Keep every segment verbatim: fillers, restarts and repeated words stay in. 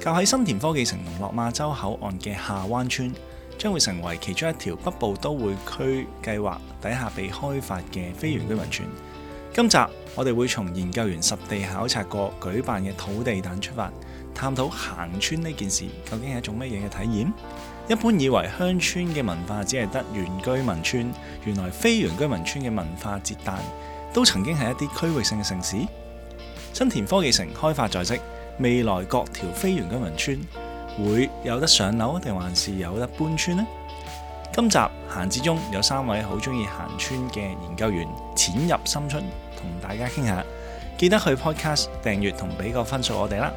靠喺新田科技城同落馬洲口岸嘅下灣村，將會成為其中一條北部都會區計劃底下被開發嘅非原居民村。今集我哋會從研究員實地考察過舉辦嘅土地誕出發，探討行村呢件事究竟係一種乜嘢嘅體驗。一般以為鄉村嘅文化只係得原居民村，原來非原居民村嘅文化節誕都曾經係一啲區域性嘅城市。新田科技城開發在即，未來各條非原居民村會有得上樓定還是有得搬村呢？今集閒置中有三位好中意行村嘅研究員淺入深出，同大家傾下。記得去 Podcast 訂閱同俾個分數我哋啦。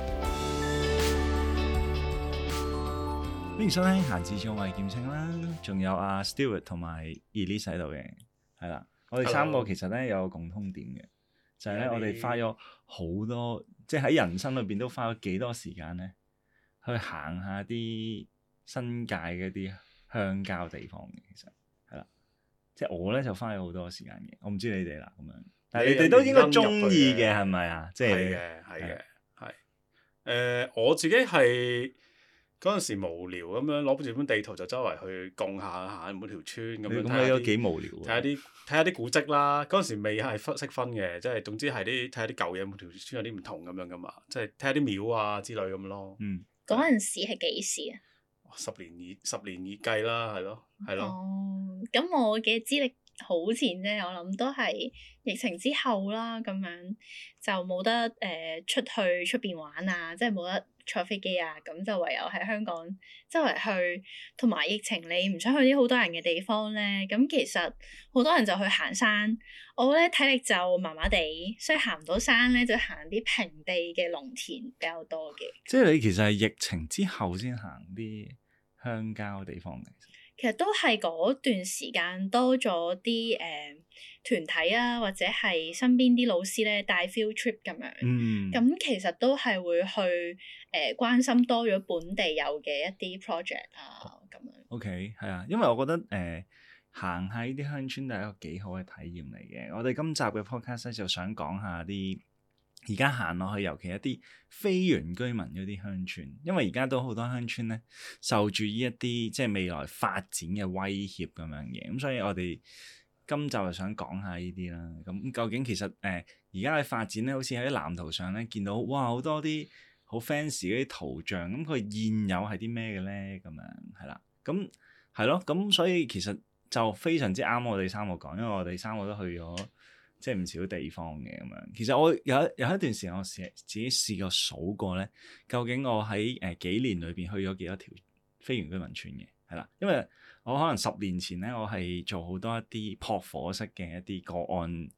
歡迎收聽閒置中，我係劍青啦，仲有阿 Stewart 同埋 Elise 喺度嘅，係啦。我哋三個其實咧有個共通點嘅，就係咧我哋花咗好多，即係喺人生裏邊都花咗幾多時間咧，去行下啲新界嘅啲鄉郊地方嘅，其實係啦。即係我咧就花咗好多時間嘅，我唔知你哋啦咁樣，但係你哋都應該中意嘅係咪啊？即係係嘅，係嘅，係。誒，我自己係嗰陣時無聊咁樣攞住本地圖就周圍去共下下每條村咁樣，咁你都幾無聊喎。睇下啲睇下啲古蹟啦。嗰陣時未係分識分嘅，即係總之係啲睇下啲舊嘢，每條村有啲唔同咁樣噶嘛。即係睇下啲廟啊之類咁咯。嗯。嗰陣時係幾時啊？十年以十年以計啦，係咯，係咯。哦，咁我嘅資歷好前啫，我諗都係疫情之後啦，咁樣就冇得誒、呃、出去出邊玩啊，即係冇得坐飛機啊，咁就唯有喺香港周圍去，同埋疫情你唔想去啲好多人嘅地方咧，咁其實好多人就去行山，我咧體力就麻麻地，所以行唔到山咧，就行啲平地嘅農田比較多嘅。即係你其實係疫情之後先行啲鄉郊地方嘅。其實都係嗰段時間多咗啲誒團體啊，或者係身邊啲老師咧帶 field trip 咁樣。嗯。咁其實都係會去誒、呃、關心多咗本地有嘅一啲 project 啊咁樣。OK，係啊，因為我覺得誒、呃、行下呢啲鄉村都係一個幾好嘅體驗嚟嘅。我哋今集嘅 podcast 咧就想講下啲而家行落去，尤其一啲非原居民嗰啲鄉村，因為而家都好多鄉村咧受住呢一啲即係未來發展嘅威脅咁樣嘅，咁所以我哋今集就想講下呢啲啦。咁究竟其實誒而家嘅發展咧，好似喺藍圖上咧見到哇好多啲好 fancy 嗰啲圖像，咁佢現有係啲咩嘅咧？咁樣係啦，咁係咯，咁所以其實就非常之啱我哋三個講，因為我哋三個都去咗即係唔少地方嘅咁樣。其實我有有一段時間我試自己試過數過咧，究竟我喺誒、呃、幾年裏邊去咗幾多條非原居民村嘅，係啦，因為我可能十年前咧，我係做好多一啲撲火式嘅一啲個案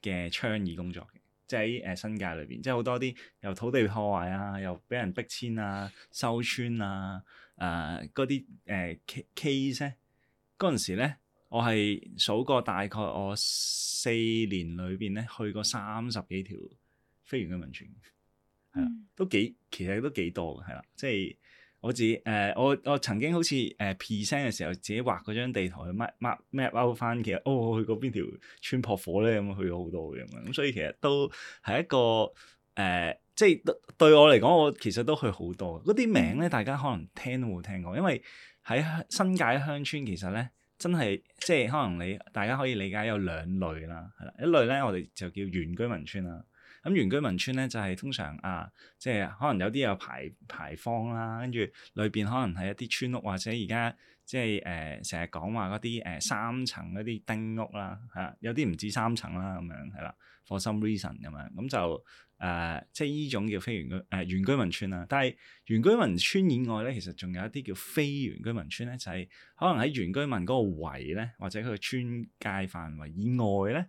嘅倡議工作嘅，即係喺誒新界裏邊，即係好多啲由土地破壞啊，又俾人逼遷啊、收村啊、誒嗰啲誒 case 咧，嗰陣時咧。我係數過大概我四年裏邊咧去過三十幾條非原居民村，係啦、嗯，都幾其實都幾多嘅，係啦，即係我自己誒、呃，我我曾經好似誒 present 嘅時候，自己畫嗰張地圖去 map map map out 翻，其實哦，我去過邊條村撲火咧，咁去咗好多嘅咁樣，咁所以其實都係一個誒、呃，即係對我嚟講，我其實都去好多。嗰啲名咧，大家可能聽都冇聽過，因為喺新界鄉村其實咧。真係即係可能你大家可以理解有兩類啦，係啦，一類咧我哋就叫原居民村啦。咁原居民村咧就係、是、通常啊，即係可能有啲有牌牌坊啦，跟住裏邊可能係一啲村屋或者而家即係誒成日講話嗰啲誒三層嗰啲丁屋啦，係啦，有啲唔止三層啦咁樣係啦 for some reason 咁樣，咁就誒、呃、即係依種叫非原居誒、呃、原居民村啦。但係原居民村以外咧，其實仲有一啲叫非原居民村咧，就係、是、可能喺原居民嗰個圍咧，或者佢嘅村界範圍以外咧，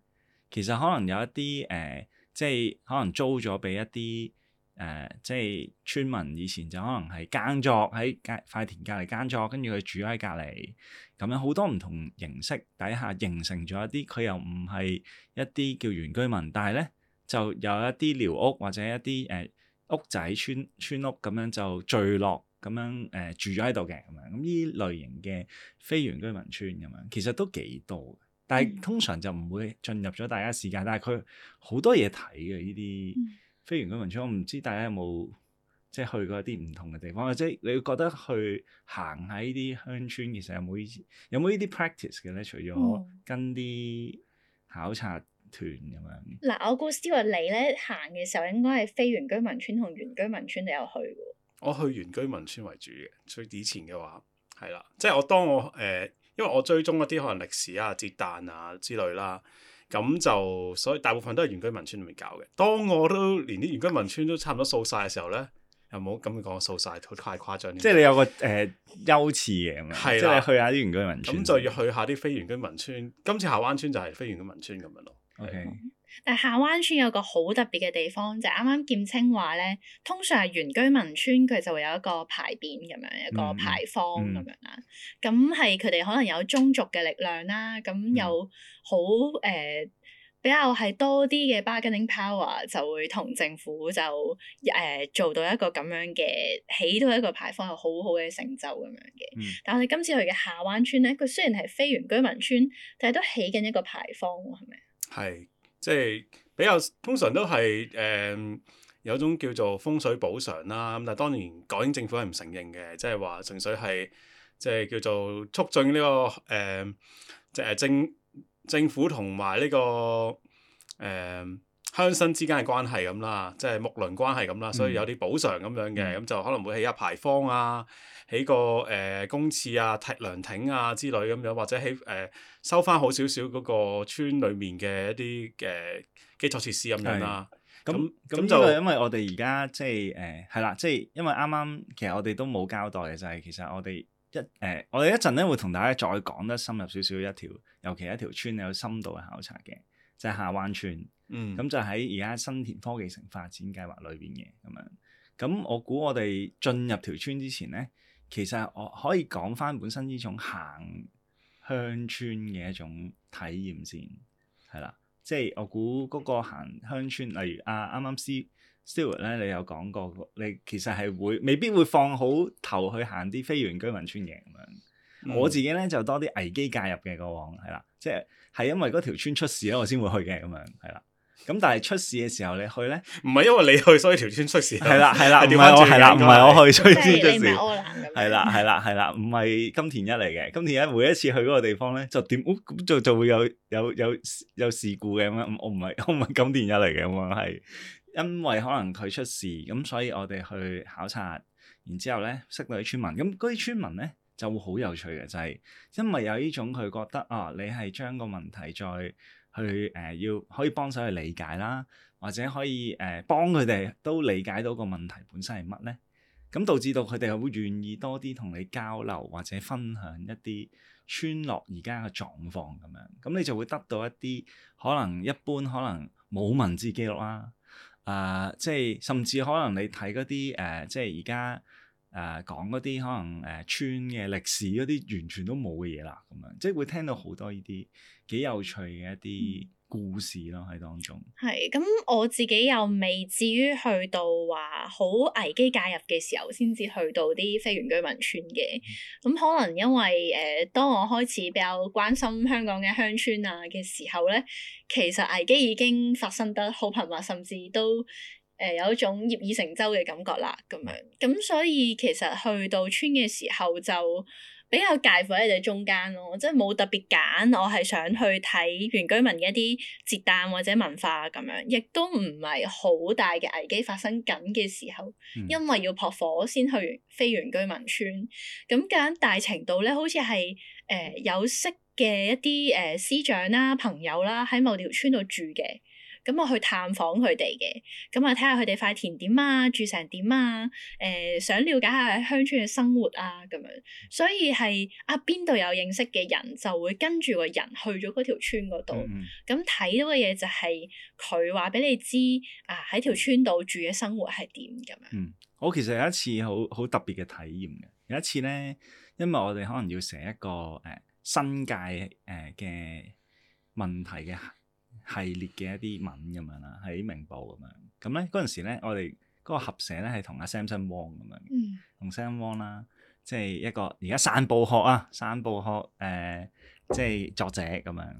其實可能有一啲誒。呃即係可能租咗俾一啲誒、呃，即係村民以前就可能係耕作喺隔塊田隔離耕作，跟住佢住喺隔離，咁樣好多唔同形式底下形成咗一啲，佢又唔係一啲叫原居民，但係咧就有一啲寮屋或者一啲誒、呃、屋仔村村屋咁樣就聚落咁樣誒、呃、住咗喺度嘅咁樣，咁呢類型嘅非原居民村咁樣，其實都幾多。但係通常就唔會進入咗大家視界，但係佢好多嘢睇嘅呢啲非原居民村，我唔知大家有冇即係去過一啲唔同嘅地方，或者你會覺得去行喺啲鄉村，其實有冇呢啲有冇呢啲 practice 嘅咧？除咗跟啲考察團咁樣。嗱、嗯，我估 Stewart 你咧行嘅時候，應該係非原居民村同原居民村都有去嘅。我去原居民村為主嘅，所以以前嘅話係啦，即係我當我誒、呃，因為我追蹤一啲可能歷史啊、節誕啊之類啦。咁就所以大部分都係原居民村裏面搞嘅。當我都連啲原居民村都差唔多掃晒嘅時候咧，又冇咁講掃晒，太誇張。即係你有個誒、呃、優次嘅咁樣，係啦即係你去下啲原居民村。咁就要去下啲非原居民村。今次下灣村就係非原居民村咁樣咯。OK。但係下灣村有個好特別嘅地方，就係啱啱劍青話咧，通常係原居民村佢就會有一個牌匾咁樣，一個牌坊咁樣啦。咁係佢哋可能有宗族嘅力量啦，咁有好誒、呃、比較係多啲嘅 bargaining power，就會同政府就誒、呃、做到一個咁樣嘅起到一個牌坊，有好好嘅成就咁樣嘅。嗯、但係我哋今次去嘅下灣村咧，佢雖然係非原居民村，但係都起緊一個牌坊喎，係咪？係。即係比較通常都係誒、呃、有種叫做風水補償啦，咁但係當然港英政府係唔承認嘅，即係話純粹係即係叫做促進呢、這個誒即係政政府同埋呢個誒、呃、鄉紳之間嘅關係咁啦，即係睦鄰關係咁啦，所以有啲補償咁樣嘅，咁、嗯、就可能會起下牌坊啊，起個誒、呃、公廁啊、梯涼亭啊之類咁樣，或者起誒、呃、收翻好少少嗰個村裡面嘅一啲嘅、呃、基礎設施咁樣啦。咁咁就因為我哋而家即係誒係啦，即係因為啱啱其實我哋都冇交代嘅就係、是、其實我哋一誒、呃、我哋一陣咧會同大家再講得深入少少一條，尤其一條村有深度嘅考察嘅，就係、是、下灣村。嗯，咁就喺而家新田科技城發展計劃裏邊嘅咁樣。咁我估我哋進入條村之前咧，其實我可以講翻本身呢種行鄉村嘅一種體驗先，係啦，即係我估嗰個行鄉村，例如啊啱啱 Stewart 咧，你有講過，你其實係會未必會放好頭去行啲非原居民村嘅咁樣。嗯、我自己咧就多啲危機介入嘅過往，係啦，即係係因為嗰條村出事咧，我先會去嘅咁樣，係啦。咁但係出事嘅時候你去咧，唔係因為你去所以條村出事，係啦係啦，唔係我係啦，唔係我去所以先出事，係係啦係啦係啦，唔係金田一嚟嘅。金田一每一次去嗰個地方咧，就點咁就就會有有有有事故嘅咁樣。我唔係我唔係金田一嚟嘅咁樣，係因為可能佢出事，咁所以我哋去考察，然之後咧識到啲村民，咁嗰啲村民咧就會好有趣嘅，就係因為有呢種佢覺得啊，你係將個問題再去誒、呃、要可以幫手去理解啦，或者可以誒、呃、幫佢哋都理解到個問題本身係乜咧，咁導致到佢哋會願意多啲同你交流或者分享一啲村落而家嘅狀況咁樣，咁你就會得到一啲可能一般可能冇文字記錄啦，啊、呃、即係甚至可能你睇嗰啲誒即係而家誒講嗰啲可能誒、呃、村嘅歷史嗰啲完全都冇嘅嘢啦，咁樣即係會聽到好多呢啲幾有趣嘅一啲故事咯喺當中。係咁，我自己又未至於去到話好危機介入嘅時候，先至去到啲非原居民村嘅。咁、嗯、可能因為誒、呃，當我開始比較關心香港嘅鄉村啊嘅時候咧，其實危機已經發生得好頻密，甚至都誒、呃、有一種業已成舟嘅感覺啦。咁樣咁，所以其實去到村嘅時候就比較介乎喺你哋中間咯，即係冇特別揀，我係想去睇原居民嘅一啲節誕或者文化咁樣，亦都唔係好大嘅危機發生緊嘅時候，嗯、因為要撲火先去非原居民村，咁揀大程度咧，好似係誒有識嘅一啲誒、呃、師長啦、朋友啦，喺某條村度住嘅。咁我去探訪佢哋嘅，咁啊睇下佢哋塊田點啊，住成點啊，誒、呃、想了解下喺鄉村嘅生活啊咁樣，所以係啊邊度有認識嘅人就會跟住個人去咗嗰條村嗰度，咁睇、嗯、到嘅嘢就係佢話俾你知啊喺條村度住嘅生活係點咁樣。嗯，我其實有一次好好特別嘅體驗嘅，有一次咧，因為我哋可能要寫一個誒、呃、新界誒嘅、呃、問題嘅系列嘅一啲文咁樣啦，喺明報咁樣。咁咧嗰陣時咧，我哋嗰個合寫咧係同阿 Samson Wong 咁樣，同 Sam Wong 啦，即係一個而家散步學啊，散步學誒、呃，即係作者咁樣。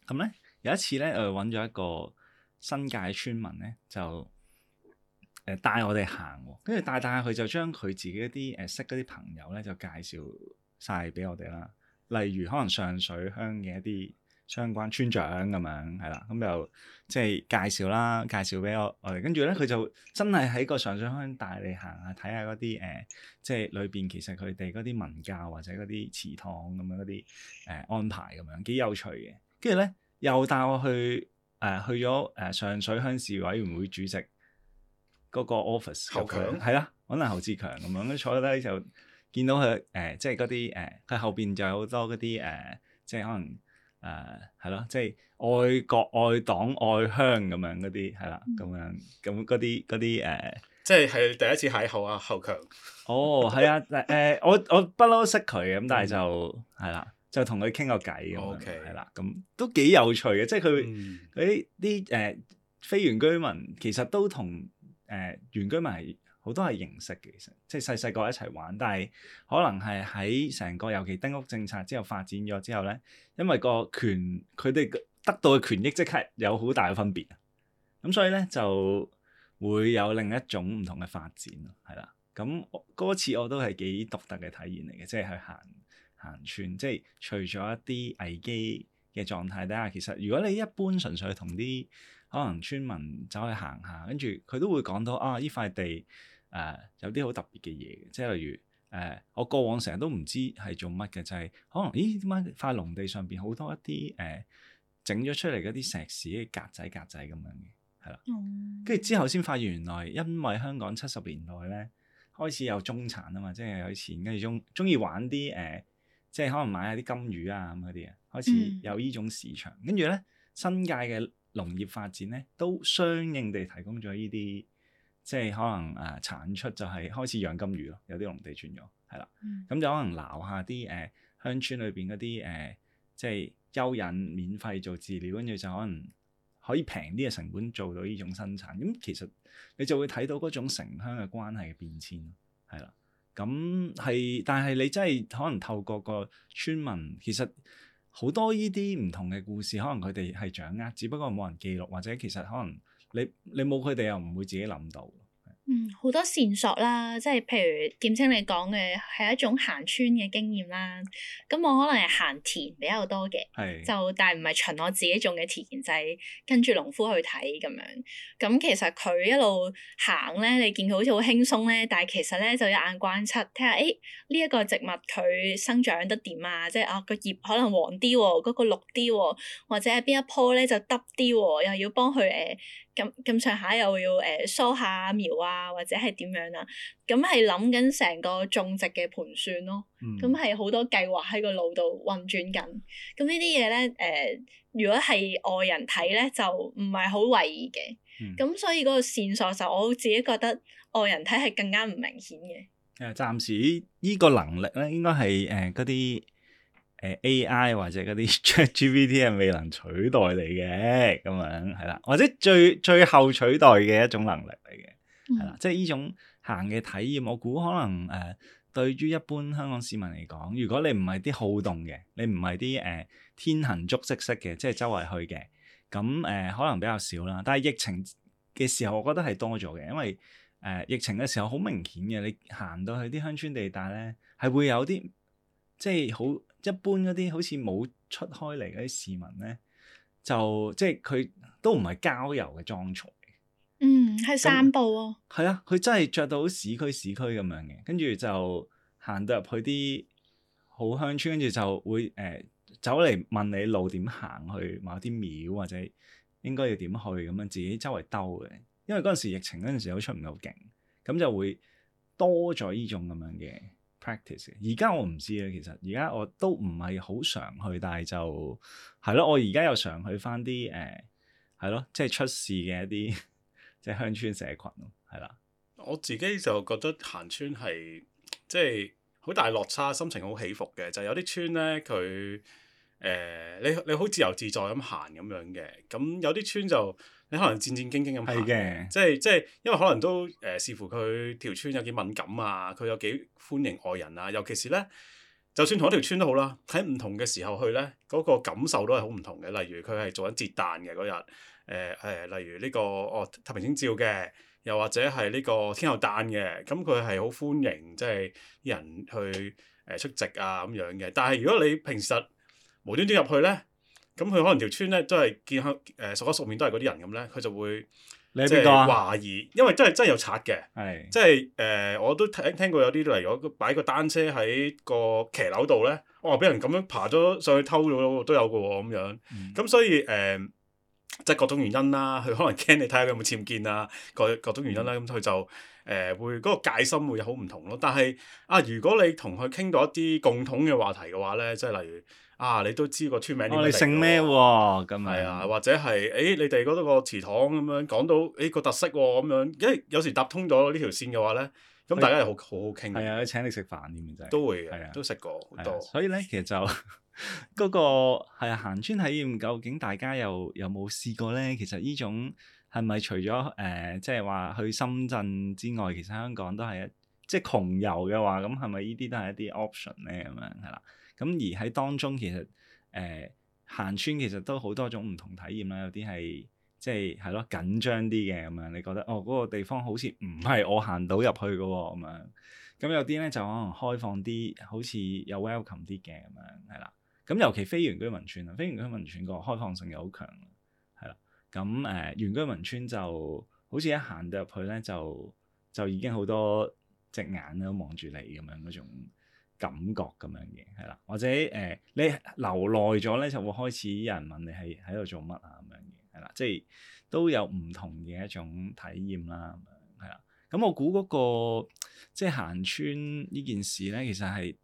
咁咧有一次咧，我揾咗一個新界村民咧，就誒、誒帶我哋行喎，跟住帶帶下佢就將佢自己一啲誒識嗰啲朋友咧就介紹晒俾我哋啦。例如可能上水鄉嘅一啲相關村長咁樣係啦，咁就即係介紹啦，介紹俾我我哋。跟住咧佢就真係喺個上水鄉帶你行下睇下嗰啲誒，即係裏邊其實佢哋嗰啲文教或者嗰啲祠堂咁樣嗰啲誒安排咁樣幾有趣嘅。跟住咧又帶我去誒、呃、去咗誒、呃、上水鄉事委員會主席嗰個 office 侯強係啦，可能侯志強咁樣，跟住坐低就見到佢誒、呃，即係嗰啲誒，佢、呃、後邊就有好多嗰啲誒，即係可能誒係咯，即係愛國愛黨愛鄉咁樣嗰啲係啦，咁樣咁嗰啲嗰啲誒，即係係第一次邂逅啊侯強。哦，係啊，誒、呃、我我不嬲識佢嘅，咁但係就係啦、嗯，就同佢傾個偈咁樣，係啦，咁都幾有趣嘅，即係佢嗰啲啲誒非原居民其實都同。誒、呃、原居民係好多係認識嘅，其實即係細細個一齊玩，但係可能係喺成個尤其丁屋政策之後發展咗之後咧，因為個權佢哋得到嘅權益即刻有好大嘅分別啊，咁所以咧就會有另一種唔同嘅發展咯，係啦，咁嗰次我都係幾獨特嘅體驗嚟嘅，即係去行行村，即係除咗一啲危機嘅狀態底下，其實如果你一般純粹同啲可能村民走去行下，跟住佢都會講到啊，呢塊地誒、呃、有啲好特別嘅嘢，即係例如誒、呃，我過往成日都唔知係做乜嘅，就係、是、可能咦點解塊農地上邊好多一啲誒整咗出嚟嗰啲石屎嘅格仔格仔咁樣嘅，係啦，跟住、嗯、之後先發現原來因為香港七十年代咧開始有中產啊嘛，即係有錢，跟住中中意玩啲誒、呃，即係可能買下啲金魚啊咁嗰啲啊，開始有呢種市場，跟住咧新界嘅農業發展咧，都相應地提供咗呢啲，即係可能誒、呃、產出就係開始養金魚咯，有啲農地轉咗，係啦，咁、嗯、就可能撈下啲誒、呃、鄉村裏邊嗰啲誒，即係蚯蚓免費做飼料，跟住就可能可以平啲嘅成本做到呢種生產，咁、嗯、其實你就會睇到嗰種城鄉嘅關係嘅變遷，係啦，咁係，但係你真係可能透過個村民，其實。好多呢啲唔同嘅故事，可能佢哋係掌握，只不過冇人記錄，或者其實可能你你冇佢哋又唔會自己諗到。嗯，好多線索啦，即係譬如劍青你講嘅係一種行村嘅經驗啦。咁我可能係行田比較多嘅，係就但係唔係循我自己種嘅田，就係、是、跟住農夫去睇咁樣。咁其實佢一路行咧，你見佢好似好輕鬆咧，但係其實咧就一眼關七，睇下誒呢一個植物佢生長得點啊？即係啊個葉可能黃啲喎，嗰、那個綠啲喎，或者係邊一棵咧就耷啲喎，又要幫佢誒。咁咁上下又要誒梳下苗啊，或者係點樣啊？咁係諗緊成個種植嘅盤算咯。咁係好多計劃喺個腦度運轉緊。咁呢啲嘢咧誒，如果係外人睇咧，就唔係好為意嘅。咁、嗯、所以嗰個線索就我自己覺得外人睇係更加唔明顯嘅。誒，暫時呢個能力咧，應該係誒嗰啲。誒 A I 或者嗰啲 ChatGPT 係未能取代你嘅，咁樣係啦，或者最最後取代嘅一種能力嚟嘅，係啦，即係呢種行嘅體驗，我估可能誒、呃、對於一般香港市民嚟講，如果你唔係啲好動嘅，你唔係啲誒天行足跡式嘅，即係周圍去嘅，咁誒、呃、可能比較少啦。但係疫情嘅時候，我覺得係多咗嘅，因為誒、呃、疫情嘅時候好明顯嘅，你行到去啲鄉村地帶咧，係會有啲即係好。一般嗰啲好似冇出開嚟嗰啲市民咧，就即係佢都唔係郊遊嘅裝束嚟。嗯，係散步啊。係啊，佢真係着到好市區市區咁樣嘅，跟住就行到入去啲好鄉村，跟住就會誒、呃、走嚟問你路點行去某啲廟，或者應該要點去咁樣，自己周圍兜嘅。因為嗰陣時疫情嗰陣時都出唔到境，咁就會多咗呢種咁樣嘅。practice 而家我唔知咧，其實而家我都唔係好常去，但係就係咯，我而家又常去翻啲誒係咯，即係出事嘅一啲即係鄉村社群咯，係啦。我自己就覺得行村係即係好大落差，心情好起伏嘅。就有啲村咧，佢誒、呃、你你好自由自在咁行咁樣嘅，咁有啲村就。你可能戰戰兢兢咁行嘅，即係即係，因為可能都誒、呃、視乎佢條村有幾敏感啊，佢有幾歡迎外人啊，尤其是咧，就算同一條村都好啦，喺唔同嘅時候去咧，嗰、那個感受都係好唔同嘅。例如佢係做緊節誕嘅嗰日，誒、呃、誒、呃，例如呢、這個哦太平清醮嘅，又或者係呢個天后誕嘅，咁佢係好歡迎即係啲人去誒出席啊咁樣嘅。但係如果你平時無端端入去咧，咁佢可能條村咧都係見向誒熟口熟面都係嗰啲人咁咧，佢就會你係邊個啊？懷疑，因為真係真係有賊嘅，係即係誒我都聽聽過有啲例如擺個單車喺個騎樓度咧，哇俾人咁樣爬咗上去偷咗都有嘅喎咁樣，咁、嗯、所以誒。呃即係各種原因啦，佢可能驚你睇下佢有冇僭建啊，各各種原因啦，咁佢、嗯、就誒、呃、會嗰、那個戒心會有好唔同咯。但係啊，如果你同佢傾到一啲共同嘅話題嘅話咧，即係例如啊，你都知個村名點樣嚟嘅喎，你姓咩喎？咁係啊，或者係誒、欸、你哋嗰度個祠堂咁樣講到誒、欸、個特色喎咁樣，因為有時搭通咗呢條線嘅話咧，咁大家又好好好傾。係啊，請你食飯添真係。都會嘅，係啊，都食過好多。所以咧，其實就〜嗰、那個係啊，行村體驗究竟大家又有冇試過咧？其實呢種係咪除咗誒，即係話去深圳之外，其實香港都係一即係窮遊嘅話，咁係咪呢啲都係一啲 option 咧？咁樣係啦。咁而喺當中其實誒、呃、行村其實都好多種唔同體驗啦。有啲係即係係咯緊張啲嘅咁樣，你覺得哦嗰、那個地方好似唔係我行到入去嘅喎咁樣。咁有啲咧就可能開放啲，好似有 welcome 啲嘅咁樣係啦。咁尤其非原居民村啊，非原居民村個開放性又好強，係啦。咁誒、呃、原居民村就好似一行到入去咧，就就已經好多隻眼都望住你咁樣嗰種感覺咁樣嘅，係啦。或者誒、呃、你留耐咗咧，就會開始有人問你係喺度做乜啊咁樣嘅，係啦。即係都有唔同嘅一種體驗啦，咁樣係啦。咁我估嗰、嗰個即係行村呢件事咧，其實係。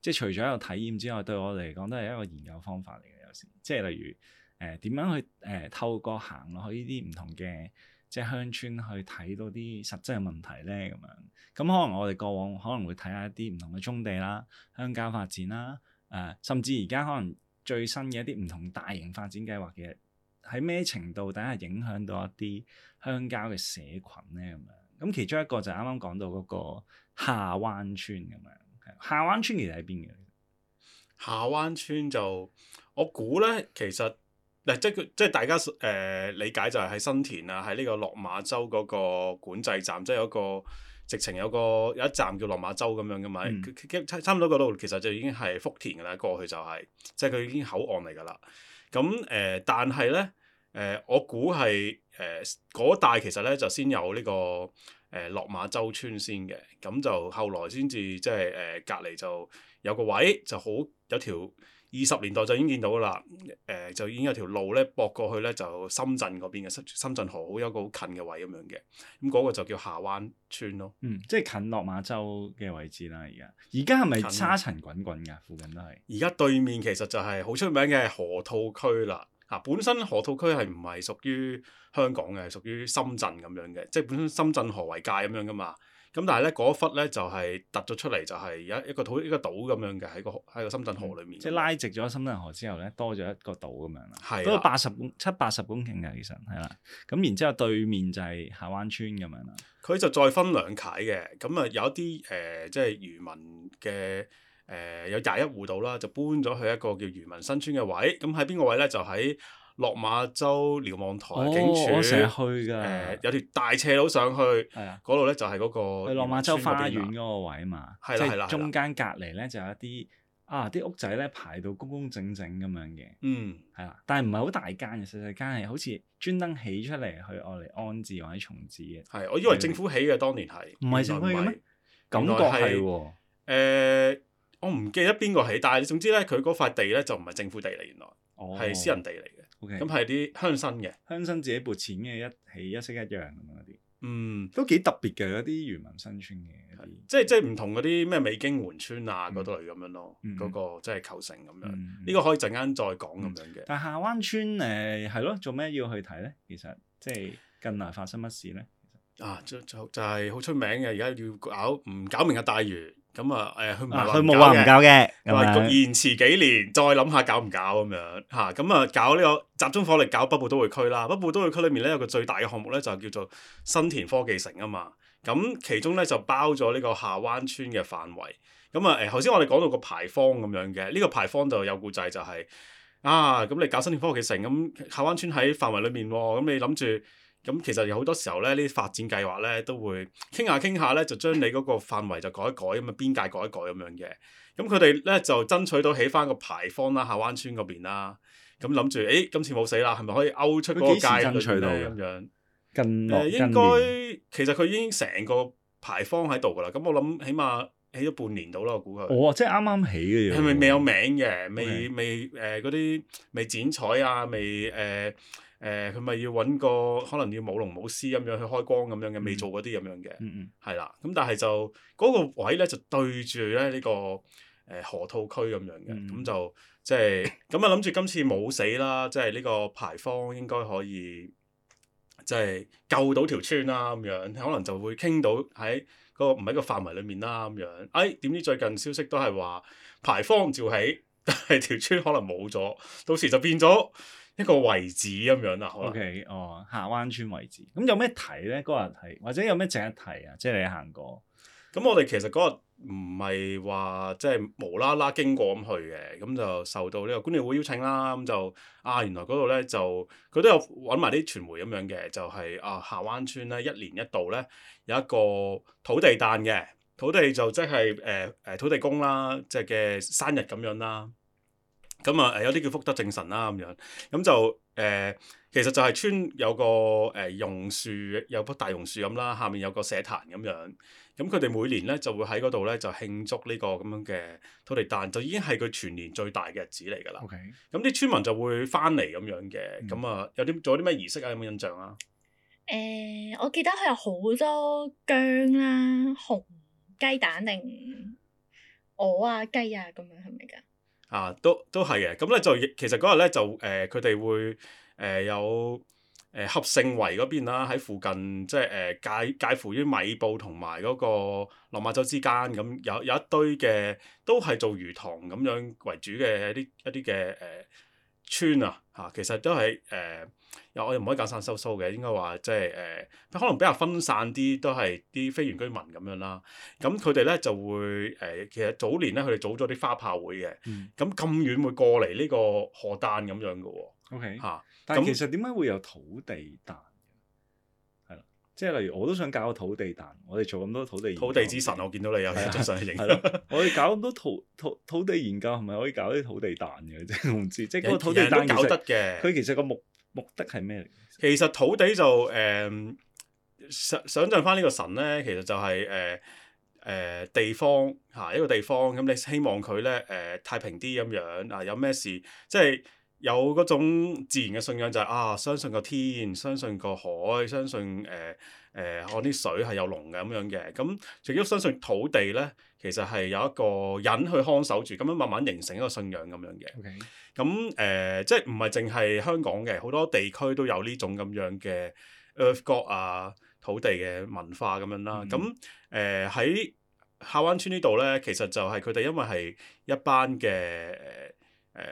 即係除咗一個體驗之外，對我嚟講都係一個研究方法嚟嘅。有時即係例如誒點、呃、樣去誒、呃、透過行落去呢啲唔同嘅即係鄉村去睇到啲實質嘅問題咧咁樣。咁可能我哋過往可能會睇下一啲唔同嘅棕地啦、鄉郊發展啦，誒、呃、甚至而家可能最新嘅一啲唔同大型發展計劃嘅喺咩程度底下影響到一啲鄉郊嘅社群咧咁樣。咁其中一個就係啱啱講到嗰個下灣村咁樣。下灣村其實喺邊嘅？下灣村就我估咧，其實嗱即係即係大家誒、呃、理解就係喺新田啊，喺呢個落馬洲嗰個管制站，即係有個直情有個有一站叫落馬洲咁樣噶嘛。嗯、差唔多嗰度其實就已經係福田噶啦，過去就係、是、即係佢已經口岸嚟噶啦。咁誒、呃，但係咧誒，我估係誒嗰帶其實咧就先有呢、這個。誒落馬洲村先嘅，咁就後來先至即係誒隔離就有個位就好有條二十年代就已經見到啦，誒、呃、就已經有條路咧駁過去咧就深圳嗰邊嘅深深圳河好有個好近嘅位咁樣嘅，咁、那、嗰個就叫下灣村咯。嗯，即係近落馬洲嘅位置啦，而家而家係咪沙塵滾滾㗎？附近都係。而家對面其實就係好出名嘅河套區啦。啊，本身河套區係唔係屬於香港嘅，係屬於深圳咁樣嘅，即係本身深圳河為界咁樣噶嘛。咁但係咧嗰忽咧就係突咗出嚟，就係有一個島一個島咁樣嘅喺個喺個深圳河裏面。嗯、即係拉直咗深圳河之後咧，多咗一個島咁樣啦。係、啊。都八十公七八十公頃嘅其實係啦。咁然之後對面就係下灣村咁樣啦。佢就再分兩楷嘅，咁啊有一啲誒、呃、即係漁民嘅。誒、呃、有廿一戶度啦，就搬咗去一個叫漁民新村嘅位。咁喺邊個位咧？就喺落馬洲瞭望台警署。哦、我成日去㗎。誒、呃、有條大斜路上去。係啊。嗰度咧就係嗰個。去落馬洲花園嗰個位嘛。係啦係啦。中間隔離咧就有一啲啊啲屋仔咧排到公公整整咁樣嘅。嗯。係啦，但係唔係好大間嘅，細細間係好似專登起出嚟去愛嚟安置或者重置嘅。係，我以為政府起嘅當年係。唔係政府起嘅咩？感覺係喎。誒。我唔記得邊個起，但係總之咧，佢嗰塊地咧就唔係政府地嚟，原來係、哦、私人地嚟嘅。咁係啲鄉紳嘅，鄉紳自己撥錢嘅，一起一式一樣咁樣嗰啲。嗯，都幾特別嘅嗰啲漁民新村嘅，即係即係唔同嗰啲咩美經援村啊嗰度嚟咁樣咯。嗰、嗯、個即係構成咁樣。呢、嗯、個可以陣間再講咁樣嘅、嗯。但係下灣村誒係咯，做咩要去睇咧？其實即係近來發生乜事咧？啊，就就就係好出名嘅，而家要搞唔搞明日大嶼。咁啊，誒，佢唔係佢冇話唔搞嘅，話延遲幾年，再諗下搞唔搞咁樣嚇。咁啊，搞呢個集中火力搞北部都會區啦。北部都會區裏面咧有個最大嘅項目咧，就叫做新田科技城啊嘛。咁其中咧就包咗呢個下灣村嘅範圍。咁啊，誒，頭先我哋講到個牌坊咁樣嘅，呢個牌坊就有故仔就係啊，咁你搞新田科技城，咁下灣村喺範圍裏面喎，咁你諗住咁其實有好多時候咧，呢啲發展計劃咧都會傾下傾下咧，就將你嗰個範圍就改一改咁啊，邊界改一改咁樣嘅。咁佢哋咧就爭取到起翻個牌坊啦，下灣村嗰邊啦。咁諗住，誒今次冇死啦，係咪可以勾出嗰個界爭取到咁樣？近誒、呃、應該年其實佢已經成個牌坊喺度㗎啦。咁我諗起碼起咗半年到啦，我估佢。哦，即係啱啱起嘅啫。係咪未有名嘅？未 Okay. 未誒嗰啲未剪彩啊？未誒誒佢咪要揾個可能要舞龍舞獅咁樣去開光咁樣嘅，未做嗰啲咁樣嘅。嗯嗯。係啦，咁但係就嗰、那個位咧就對住咧呢個誒、呃、河套區咁樣嘅，咁、嗯、就即係咁啊諗住今次冇死啦，即係呢個牌坊應該可以即係救到條村啦咁樣，可能就會傾到喺嗰、那個唔喺個範圍裡面啦咁樣。哎，點知最近消息都係話牌坊照起，但係條村可能冇咗，到時就變咗一個遺址咁樣啦。O、okay, K， 哦，下灣村遺址，咁有咩睇咧？嗰日睇，或者有咩值得睇啊？即係你行過。咁我哋其實嗰日唔係話即係無啦啦經過咁去嘅，咁就受到呢個觀鳥會邀請啦。咁就啊，原來嗰度咧就佢都有揾埋啲傳媒咁樣嘅，就係、是、啊下灣村咧一年一度咧有一個土地誕嘅，土地就即係誒誒土地公啦，即係嘅生日咁樣啦。咁啊誒有啲叫福德正神啦咁樣，咁就誒、呃、其實就係村有個誒榕樹，有棵大榕樹咁啦，下面有個社壇咁樣。咁佢哋每年咧就會喺嗰度咧就慶祝呢個咁樣嘅土地誕，就已經係佢全年最大嘅日子嚟㗎啦。咁啲 Okay. 村民就會翻嚟咁樣嘅。咁啊、嗯、有啲做啲咩儀式啊？有冇印象啊？誒、呃，我記得佢有好多薑啦、紅雞蛋定鵝啊、雞啊咁樣，係咪㗎？啊，都都係嘅。咁咧就其實嗰日咧就誒佢哋會誒、呃、有。誒合盛圍嗰邊啦，喺附近即係誒介介乎於米埔同埋嗰個落馬洲之間，咁有有一堆嘅都係做魚塘咁樣為主嘅一啲一啲嘅誒村啊嚇，其實都係誒又我又唔可以講散收收嘅，應該話即係誒可能比較分散啲，都係啲非原居民咁樣啦。咁佢哋咧就會誒、呃、其實早年咧佢哋組咗啲花炮會嘅，咁咁、嗯、遠會過嚟呢個賀誕咁樣嘅喎。OK 嚇。但係其實點解會有土地誕？係啦，即係例如我都想搞個土地誕，我哋做咁多土地研究土地之神，我見到你有張相影。係咯，我哋搞咁多土土土地研究，係咪可以搞啲土地誕嘅？即係我唔知，即係嗰個土地誕搞得嘅。佢其實個目目的係咩嚟？其實土地就誒、呃、想想像翻呢個神咧，其實就係誒誒地方嚇、啊、一個地方，咁你希望佢咧誒太平啲咁樣啊，有咩事即係。有嗰種自然嘅信仰就係、是、啊，相信個天，相信個海，相信誒誒我啲水係有龍嘅咁樣嘅。咁除咗相信土地咧，其實係有一個人去看守住，咁樣慢慢形成一個信仰咁樣嘅。咁誒 Okay.、呃，即係唔係淨係香港嘅，好多地區都有呢種咁樣嘅 Earth God 啊，土地嘅文化咁樣啦。咁誒喺下灣村呢度咧，其實就係佢哋因為係一班嘅誒誒。呃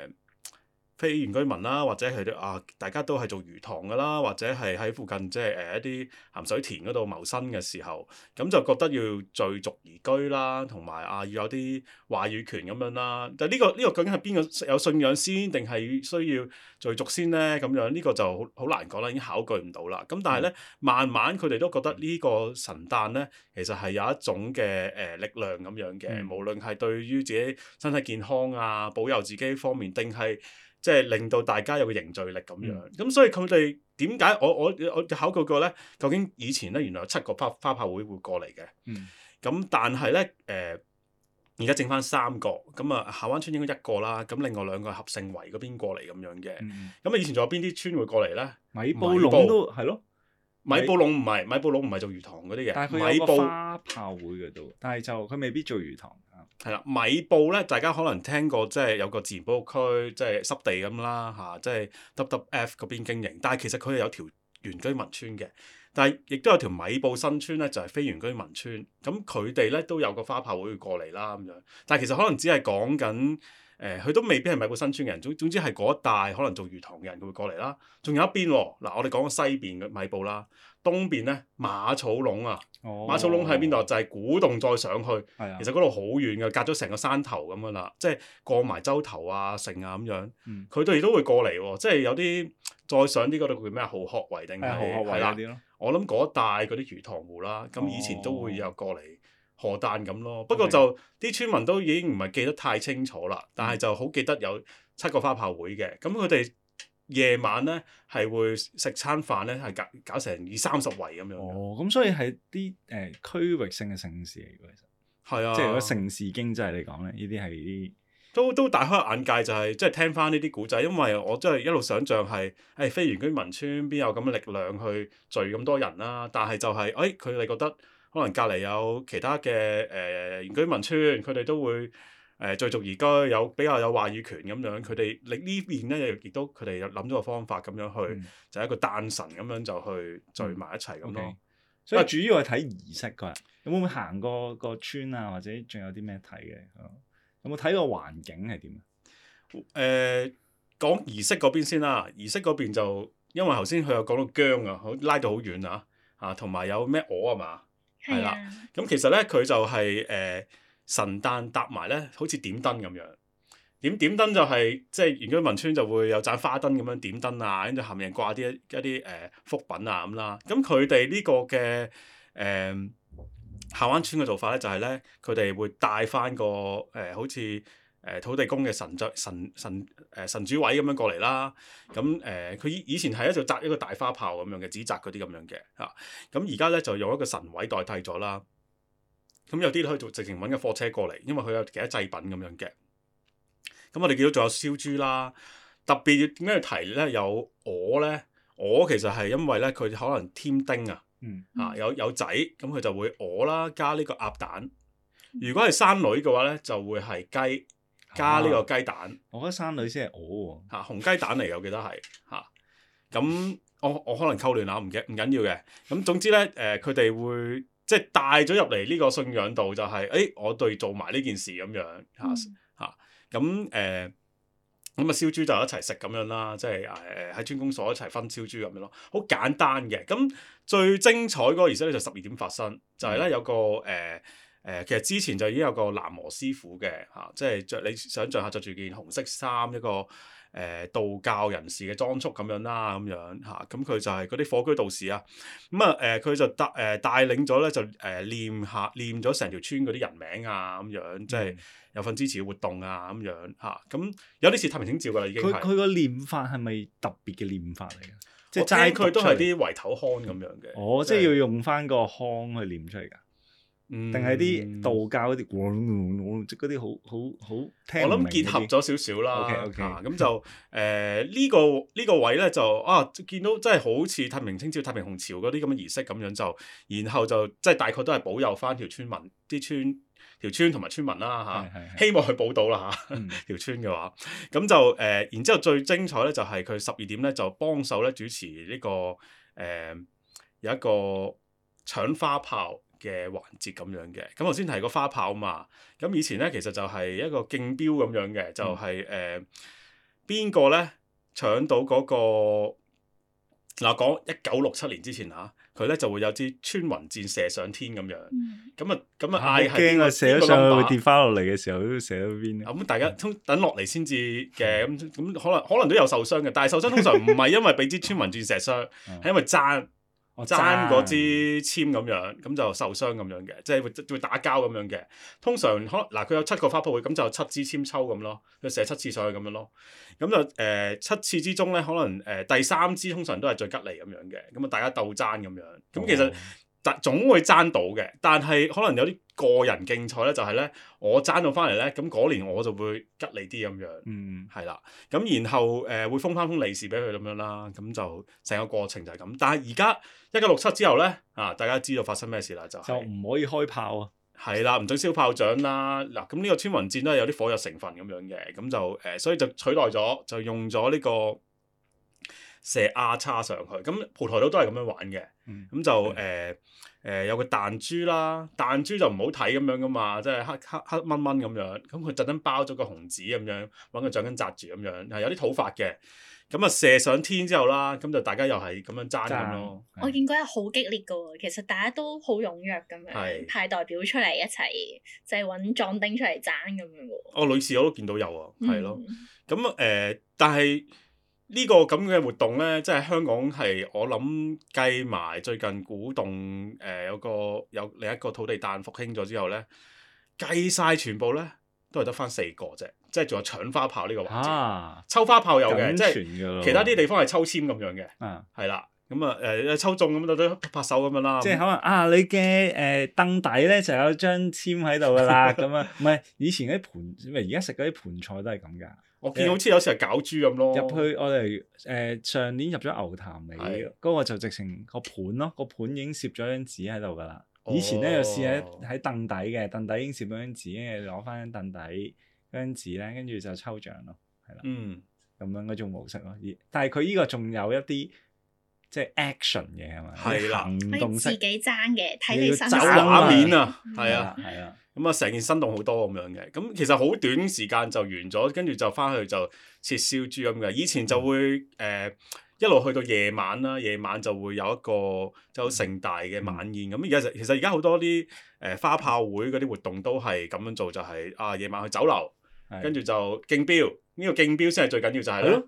非原居民啦，或者佢哋啊，大家都係做魚塘㗎啦，或者係喺附近即係誒一啲鹹水田嗰度謀生嘅時候，咁就覺得要聚族而居啦，同埋啊要有啲話語權咁樣啦。但係呢個呢個究竟係邊個有信仰先，定係需要聚族先咧？咁樣呢個就好好難講啦，已經考據唔到啦。咁但係咧，慢慢佢哋都覺得呢個神誕咧，其實係有一種嘅誒力量咁樣嘅，嗯、無論係對於自己身體健康啊、保佑自己方面，定係即係令到大家有個凝聚力咁樣，咁、嗯、所以佢哋點解我我我考究過咧？究竟以前咧原來有七個花花炮會會過嚟嘅，咁、嗯、但係咧誒而家剩翻三個，咁啊下灣村應該一個啦，咁另外兩個係合盛圍嗰邊過嚟咁樣嘅，咁啊、嗯、以前仲有邊啲村會過嚟咧？米埔隴都係咯。米埔隴唔係米埔隴唔係做魚塘嗰啲嘅，但係佢有個花炮會嘅都，但係就佢未必做魚塘。係啦，米埔咧，大家可能聽過，即係有個自然保護區，即係濕地咁啦嚇，即係 W W F 嗰邊經營。但係其實佢係有條原居民村嘅，但係亦都有條米埔新村咧，就係、是、非原居民村，咁佢哋咧都有個花炮會過嚟啦咁樣。但係其實可能只係講緊誒，佢、呃、都未必係米埔新村嘅人，總總之係嗰一帶可能做魚塘嘅人佢會過嚟啦。仲有一邊喎，嗱我哋講個西邊嘅米埔啦，東邊咧馬草壟啊，哦、馬草壟喺邊度？就係、是、古洞再上去，啊、其實嗰度好遠嘅，隔咗成個山頭咁樣啦，即係過埋洲頭啊、城啊咁樣，佢哋、嗯、都會過嚟喎，即係有啲。再上啲嗰度叫咩？蠔殼圍定係係啦，我諗嗰帶嗰啲魚塘戶啦，咁以前都會有過嚟荷誕咁咯。不過就啲 Okay. 村民都已經唔係記得太清楚啦，但係就好記得有七個花炮會嘅。咁佢哋夜晚咧係會食餐飯咧，係搞搞成二三十圍咁樣。哦，咁所以係啲誒區域性嘅盛事嚟嘅，其實係啊，即係如果盛事經濟嚟講咧，呢啲係啲。都都大開眼界，就係即係聽翻呢啲古仔，因為我真係一路想像係誒非原居民村邊有咁嘅力量去聚咁多人啦，但係就係誒佢哋覺得可能隔離有其他嘅誒、呃、原居民村，佢哋都會誒、呃、聚族而居，有比較有話語權咁樣，佢哋你呢邊咧亦都佢哋有諗咗個方法咁樣去，嗯、就係一個誕辰咁樣就去聚埋一齊咁咯。嗯 okay. 所以主要係睇儀式嗰日，有冇行過個村啊，或者仲有啲咩睇嘅？有冇睇過環境係點啊？誒、呃，講儀式嗰邊先啦。儀式嗰邊就因為頭先佢有講到薑啊，拉到好遠啊，啊，同埋有咩鵝啊嘛，係啦。咁其實咧，佢就係、是、誒、呃、神誕搭埋咧，好似點燈咁樣。點點燈就係、是、即係原居民村就會有盞花燈咁樣點燈啊，跟住下面掛啲一啲誒福品啊咁啦。咁佢哋呢個嘅誒。呃下灣村嘅做法咧，就係咧，佢哋會帶翻個誒、呃，好似誒、呃、土地公嘅神像、神神誒、呃、神主位咁樣過嚟啦。咁誒，佢、呃、以以前係一就紮一個大花炮咁樣嘅，紙紮嗰啲咁樣嘅嚇。咁而家咧就用一個神位代替咗啦。咁有啲可以做直情揾個貨車過嚟，因為佢有其他祭品咁樣嘅。咁我哋見到仲有燒豬啦，特別點解要提咧？有鵝咧，鵝其實係因為咧佢可能添丁啊。嗯，啊有有仔咁佢就會鵝啦，加呢個鴨蛋。如果係生女嘅話咧，就會係雞加呢個雞蛋。啊、我覺得生女先係鵝喎。嚇、啊、紅雞蛋嚟嘅，我記得係嚇。咁、啊、我我可能溝亂下，唔嘅唔緊要嘅。咁總之咧，誒佢哋會即係帶咗入嚟呢個信仰度、就係，就係誒我哋做埋呢件事咁樣嚇嚇。咁誒咁啊燒豬就一齊食咁樣啦，即係誒喺村公所一齊分燒豬咁樣咯，好簡單嘅。咁最精彩嗰個儀式咧就十二點發生，就係、是、咧有個誒誒、呃呃，其實之前就已經有個喃嘸師傅嘅嚇、啊，即係着你想象下着住件紅色衫一個誒、呃、道教人士嘅裝束咁樣啦，咁樣嚇，咁、啊、佢就係嗰啲火居道士啊，咁啊誒佢就帶誒、呃、帶領咗咧就誒、呃、念下念咗成條村嗰啲人名啊咁樣，即係有份支持嘅活動啊咁樣嚇，咁、啊、有啲似太平清醮噶啦已經係。佢佢個念法係咪特別嘅念法嚟嘅？即係齋佢都係啲圍頭腔咁樣嘅。哦，即係要用翻個腔去念出嚟㗎。定係啲道教嗰啲，即嗰啲好好好聽唔明。我諗結合咗少少啦。OK OK。咁就誒呢個呢個位咧就啊見到真係好似太平清醮、太平紅潮嗰啲咁嘅儀式咁樣就，然後就即係大概都係保佑翻條村民、啲村條村同埋村民啦嚇。啊、是是是希望佢保到啦嚇條村嘅話。咁就誒、呃，然之後最精彩咧就係佢十二點咧就幫手咧主持呢、這個誒、呃、有一個搶花炮嘅環節咁樣嘅，咁頭先提過花炮嘛，咁以前咧其實就係一個競標咁樣嘅，就係誒邊個咧搶到嗰、那個嗱講一九六七年之前嚇，佢、啊、咧就會有支穿雲箭射上天咁樣，咁啊咁啊嗌係驚啊射咗上去跌翻落嚟嘅時候都射到邊咁、嗯、大家通等落嚟先至嘅，咁咁、嗯、可能可能都有受傷嘅，但係受傷通常唔係因為俾支穿雲箭射傷，係、嗯、因為爭。爭嗰支籤咁樣，咁就受傷咁樣嘅，即係會會打交咁樣嘅。通常可能嗱，佢有七個花炮會，咁就七支籤抽咁咯，佢射七次上去咁樣咯。咁就誒、呃、七次之中咧，可能誒、呃、第三支通常都係最吉利咁樣嘅。咁啊，大家鬥爭咁樣。咁其實但總會爭到嘅，但係可能有啲個人競賽咧，就係、是、咧我爭到翻嚟咧，咁嗰年我就會吉利啲咁樣。嗯，係啦。咁然後誒、呃、會封翻封利是俾佢咁樣啦。咁就成個過程就係咁。但係而家一九六七之後咧，啊大家知道發生咩事啦？就係、就唔可以開炮啊！係啦，唔准燒炮仗啦。嗱，咁呢個穿雲箭都係有啲火藥成分咁樣嘅，咁就誒、呃，所以就取代咗，就用咗呢、這個射 R 叉上去。咁蒲台島都係咁樣玩嘅。咁、嗯、就誒誒、呃呃、有個彈珠啦，彈珠就唔好睇咁樣噶嘛，即係黑黑黑蚊蚊咁樣。咁佢特登包咗個紅紙咁樣，揾個橡筋紮住咁樣，係有啲土法嘅。咁啊射上天之後啦，咁就大家又係咁樣爭咁咯。我見嗰日好激烈噶喎，其實大家都好踴躍咁樣派代表出嚟一齊，就係揾壯丁出嚟爭咁樣喎。哦，女士我都見到有啊，係咯。咁誒、呃，但係呢個咁嘅活動咧，即係香港係我諗計埋最近古洞誒、呃、有個有另一個土地誕復興咗之後咧，計晒全部咧都係得翻四個啫。即係仲有搶花炮呢個環節，啊、抽花炮有嘅，即係其他啲地方係抽籤咁樣嘅，係啦、啊，咁啊誒抽中咁就都拍手咁樣啦。即係可能啊，你嘅誒凳底咧就有張籤喺度噶啦，咁啊，唔係以前嗰啲盤，唔係而家食嗰啲盤菜都係咁㗎。我見好似有時係攪珠咁咯。入去我哋誒、呃、上年入咗牛潭尾，嗰的個就直情個盤咯，個盤已經攝咗張紙喺度㗎啦。以前咧就試喺喺凳底嘅，凳底已經攝咗張紙，跟住攞翻張凳底。張紙咧，跟住就抽獎咯，係啦，嗯，咁樣嗰種模式咯。但係佢呢個仲有一啲即係 action 嘅係咪？係啦，行動式自己爭嘅，睇你身走畫面啊，係啊，係啊，咁啊成件生動好多咁樣嘅。咁其實好短時間就完咗，跟住就翻去就切燒豬咁嘅。以前就會誒、呃、一路去到夜晚啦，夜晚就會有一個就盛大嘅晚宴。咁而家其實而家好多啲誒、呃、花炮會嗰啲活動都係咁樣做，就係、是、啊夜晚去酒樓。跟住就競標，呢、這個競標先係最緊要就係、是、咧，的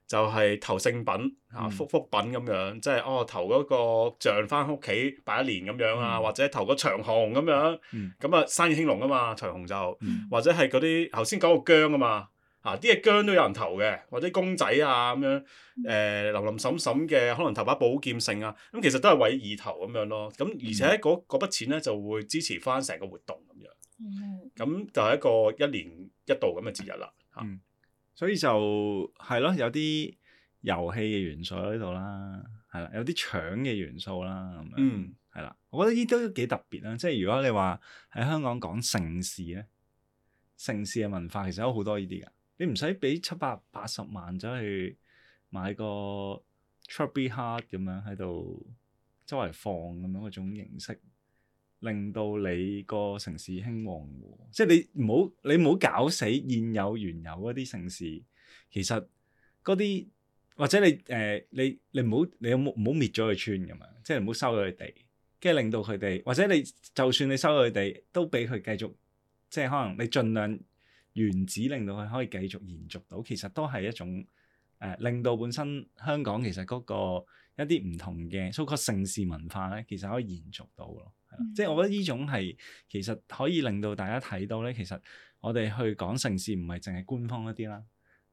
就係投聖品啊，福福品咁樣，即係哦投嗰個像翻屋企擺一年咁樣啊，嗯、或者投個長虹咁樣，咁啊、嗯、生意興隆啊嘛，長虹就，嗯、或者係嗰啲頭先講個薑啊嘛，啊啲嘢薑都有人投嘅，或者公仔啊咁樣，誒、呃、林林沈沈嘅可能投把寶劍聖啊，咁其實都係為意頭咁樣咯，咁而且嗰嗰筆錢咧就會支持翻成個活動咁樣。咁、嗯、就係一個一年一度咁嘅節日啦，嚇、嗯，所以就係咯，有啲遊戲嘅元素喺度啦，係啦，有啲搶嘅元素啦，咁樣，係啦、嗯，我覺得呢都幾特別啦。即係如果你話喺香港講盛事咧，盛事嘅文化其實有好多呢啲噶，你唔使俾七百八十萬走去買個 Chubby Heart 咁樣喺度周圍放咁樣嗰種形式。令到你個城市興旺喎，即係你唔好你唔好搞死現有原有嗰啲城市，其實嗰啲或者你誒、呃、你你唔好你有冇唔好滅咗佢村咁樣，即係唔好收咗佢地，跟住令到佢哋或者你就算你收咗佢地，都俾佢繼續，即係可能你盡量原址令到佢可以繼續延續到，其實都係一種誒、呃、令到本身香港其實嗰個一啲唔同嘅所謂城市文化咧，其實可以延續到咯。即係我覺得呢種係其實可以令到大家睇到咧，其實我哋去講城市唔係淨係官方一啲啦，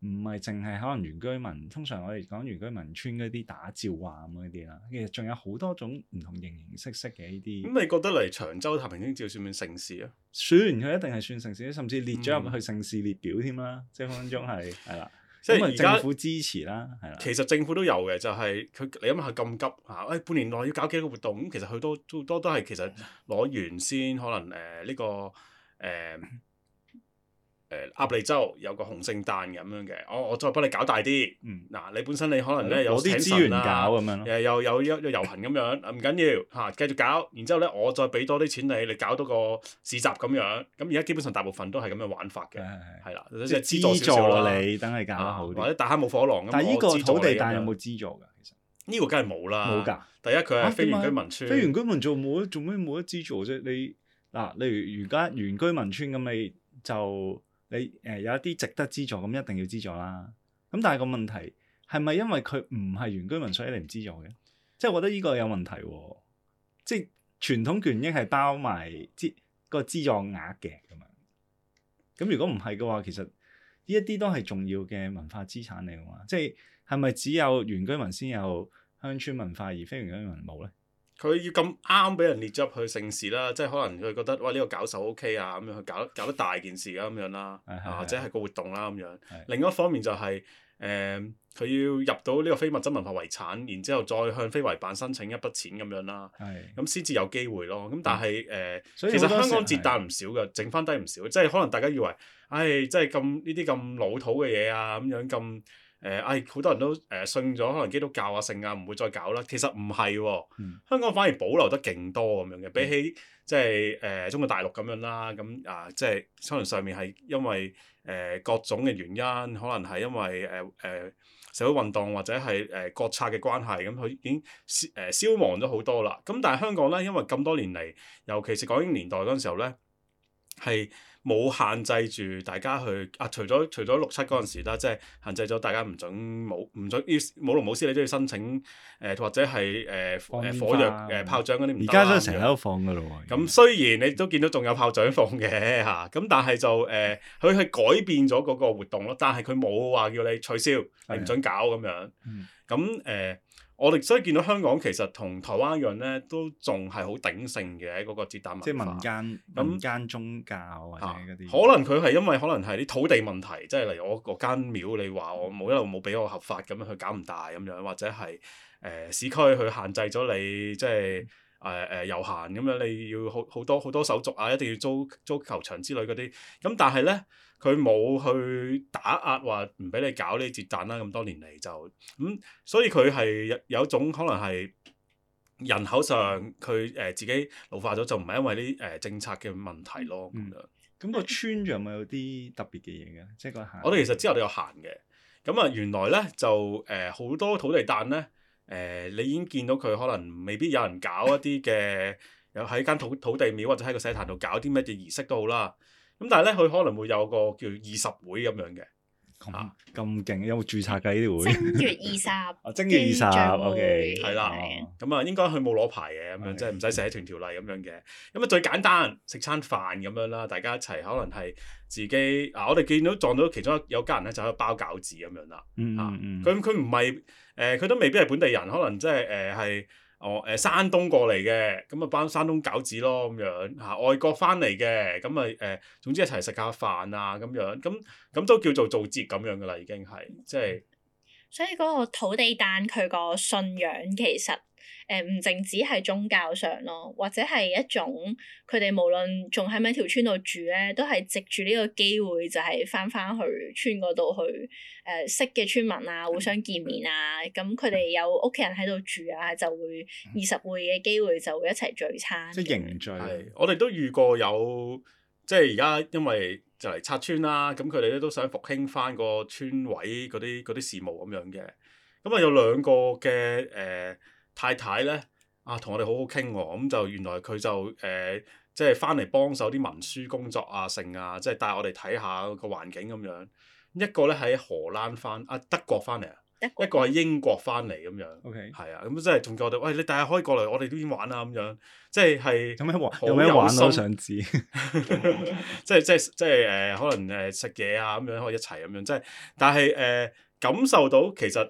唔係淨係可能原居民，通常我哋講原居民村嗰啲打醮啊咁嗰啲啦，其實仲有好多種唔同形形色色嘅呢啲。咁你覺得嚟長洲太平清醮算唔算盛事啊？算，佢一定係算盛事，甚至列咗入去盛事列表添啦，即係分分鐘係係啦。即係而家政府支持啦，係啦。其實政府都有嘅，就係、是、佢你諗下咁急嚇，誒、哎、半年內要搞幾個活動，咁其實佢都都多都係其實攞完先，可能誒呢、呃這個誒。呃誒鴨脷洲有個紅聖誕咁樣嘅，我我再幫你搞大啲。嗯，嗱你本身你可能咧有啲資源搞咁樣咯，誒又有一個遊行咁樣，唔緊要嚇，繼續搞。然之後咧，我再俾多啲錢你，你搞多個市集咁樣。咁而家基本上大部分都係咁樣玩法嘅，係啦，即係資助少少你，等你搞得好啲，或者大坑冇火狼咁。但係呢個土地誕有冇資助㗎？其實呢個梗係冇啦，冇㗎。第一佢係非原居民村，非原居民做冇做咩冇得資助啫？你嗱，例如而家原居民村咁，你就。你誒、呃、有一啲值得資助，咁一定要資助啦。咁但係個問題係咪因為佢唔係原居民，所以你唔資助嘅？即係我覺得呢個有問題喎。即係傳統權益係包埋資個資助額嘅咁樣。咁如果唔係嘅話，其實呢一啲都係重要嘅文化資產嚟㗎嘛。即係係咪只有原居民先有鄉村文化，而非原居民冇咧？佢要咁啱俾人列咗入去盛事啦，即係可能佢覺得哇呢、呢個搞手 O K 啊，咁樣去搞搞得大件事啊咁樣啦，或者係個活動啦咁樣。另一方面就係誒佢要入到呢個非物質文化遺產，然之後再向非遺辦申請一筆錢咁樣啦，咁先至有機會咯。咁但係誒，呃、其實香港節誕唔少嘅，剩翻低唔少，即係可能大家以為，唉、哎，即係咁呢啲咁老土嘅嘢啊，咁樣咁。誒，唉好多人都誒信咗可能基督教啊、聖啊，唔會再搞啦。其實唔係喎，嗯香港反而保留得勁多咁樣嘅，比起即係誒中國大陸咁樣啦。咁啊，即係可能上面係因為誒、呃、各種嘅原因，可能係因為誒誒、呃、社會運動或者係誒、呃、國策嘅關係，咁佢已經消誒、呃、消亡咗好多啦。咁但係香港咧，因為咁多年嚟，尤其是港英年代嗰陣時候咧，係冇限制住大家去啊！除咗除咗六七嗰陣時啦，即係限制咗大家唔准冇唔准要舞龍舞獅，你都要申請誒、呃、或者係誒誒火藥誒、呃、炮仗嗰啲唔得啦。而家都成日都放噶咯喎。咁雖然你都見到仲有炮仗放嘅嚇，咁但係就誒佢係改變咗嗰個活動咯，但係佢冇話叫你取消，你唔准搞咁樣。咁誒、呃，我哋所以見到香港其實同台灣一樣咧，都仲係好鼎盛嘅喺嗰個節誕文化。即係民間那民間宗教或者嗰啲、啊。可能佢係因為可能係啲土地問題，即係例如我嗰間廟，你話我冇一路冇俾我合法咁樣去搞唔大咁樣，或者係誒、呃、市區去限制咗你即係。誒誒遊行咁樣，你要好好多好多手續啊，一定要租租球場之類嗰啲。咁但係咧，佢冇去打壓話唔俾你搞呢啲節誕啦。咁多年嚟就咁、嗯，所以佢係有有一種可能係人口上佢誒、呃、自己老化咗，就唔係因為啲誒、呃、政策嘅問題咯。咁樣咁、嗯、個村仲有冇有啲特別嘅嘢嘅？即係個行。我哋其實之後都有行嘅。咁啊，原來咧就誒好、呃、多土地誕咧。誒、呃，你已經見到佢可能未必有人搞一啲嘅，有喺間土土地廟或者喺個祭壇度搞啲乜嘢儀式都好啦。咁但係咧，佢可能會有個叫二十會咁樣嘅。咁咁勁，有冇註冊㗎呢啲會？正月二十。哦，正月二十，OK，係啦。咁啊，應該佢冇攞牌嘅，咁樣即係唔使社團條例咁樣嘅。咁啊，最簡單食餐飯咁樣啦，大家一齊可能係自己啊，我哋見到撞到其中有家人咧，就喺度包餃子咁樣啦。嗯嗯佢佢唔係誒，佢、呃、都未必係本地人，可能即係誒係哦誒山東過嚟嘅，咁啊包山東餃子咯咁樣嚇、啊，外國翻嚟嘅，咁啊誒，總之一齊食下飯啊咁樣，咁咁都叫做做節咁樣噶啦，已經係即係。所以嗰個土地誕佢個信仰其實誒唔淨止係宗教上咯，或者係一種佢哋無論仲喺咪條村度住咧，都係藉住呢個機會就係翻翻去村嗰度去誒、呃、識嘅村民啊，互相見面啊，咁佢哋有屋企人喺度住啊，就會二十會嘅機會就會一齊聚餐。即係凝聚。係，我哋都遇過有，即係而家因為就嚟拆村啦，咁佢哋咧都想復興翻個村委嗰啲嗰啲事務咁樣嘅。咁啊有兩個嘅誒、呃、太太咧啊，同我哋好好傾喎。咁就原來佢就誒、呃、即係翻嚟幫手啲文書工作啊、剩啊，即係帶我哋睇下個環境咁樣。一個咧喺荷蘭翻啊德國翻嚟啊，一個喺英國翻嚟咁樣。OK，係啊，咁即係仲叫我哋，喂，你第日可以過嚟，我哋都已經玩啦咁樣，即係係有咩玩？有咩玩我都想知。即係即係即係誒、呃，可能誒食嘢啊咁樣可以一齊咁樣，即係但係誒、呃、感受到其實誒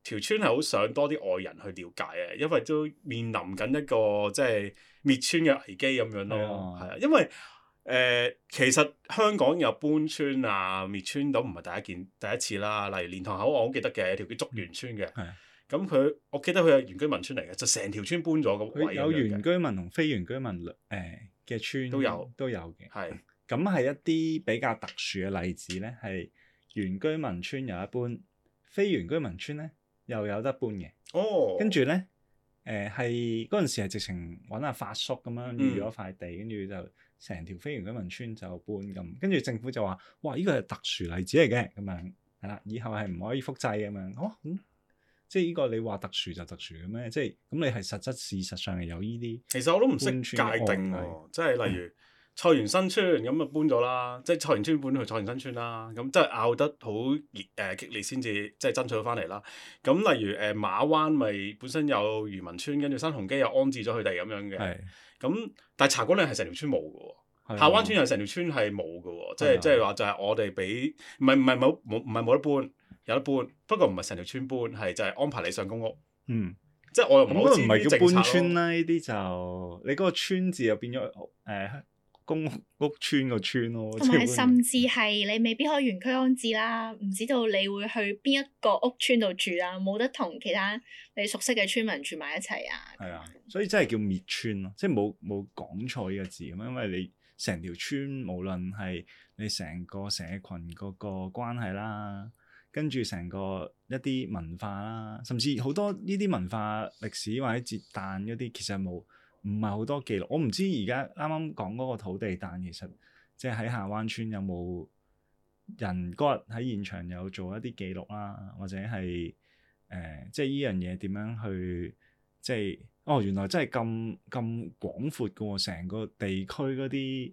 條、呃、村係好想多啲外人去了解啊，因為都面臨緊一個即係滅村嘅危機咁樣咯，係啊，因為。誒、呃，其實香港有搬村啊、滅村都唔係第一件第一次啦。例如蓮塘口，我好記得嘅，條叫竹園村嘅。係。咁佢，我記得佢係原居民村嚟嘅，就成條村搬咗個位。有原居民同非原居民誒嘅村都有都有嘅。係。咁係一啲比較特殊嘅例子咧，係原居民村有一搬，非原居民村咧又有得搬嘅。哦。跟住咧，誒係嗰陣時係直情揾阿發叔咁樣預咗塊地，跟住、嗯、就。成條非原居民村就搬咁，跟住政府就話：哇！呢個係特殊例子嚟嘅，咁樣係啦，以後係唔可以複製咁樣。哦，咁即係呢個你話特殊就特殊嘅咩？即係咁你係實質事實上係有呢啲。其實我都唔識界定喎，即係例如菜園新村咁啊搬咗啦，即係菜園村搬去菜園新村啦，咁即係拗得好熱誒激烈先至即係爭取到翻嚟啦。咁例如誒馬灣咪本身有漁民村，跟住新鴻基又安置咗佢哋咁樣嘅。咁，但係茶果嶺係成條村冇嘅喎，下灣村又成條村係冇嘅喎，即係即係話就係我哋俾，唔係唔係冇冇唔係冇得搬，有得搬，不過唔係成條村搬，係就係安排你上公屋。嗯，即係我又唔好知唔係叫搬村啦，呢啲就你嗰個村字又變咗誒、呃、公屋屋村個村咯。同埋甚至係你未必可以原區安置啦，唔知道你會去邊一個屋村度住啦，冇得同其他你熟悉嘅村民住埋一齊啊。係啊，所以真係叫滅村咯，即係冇冇講錯呢個字咁，因為你成條村無論係你成個社群嗰個關係啦，跟住成個一啲文化啦，甚至好多呢啲文化歷史或者節誕嗰啲，其實冇唔係好多記錄。我唔知而家啱啱講嗰個土地誕，其實即係喺下灣村有冇人嗰日喺現場有做一啲記錄啦，或者係誒、呃、即係依樣嘢點樣去即係哦原來真係咁咁廣闊嘅喎，成個地區嗰啲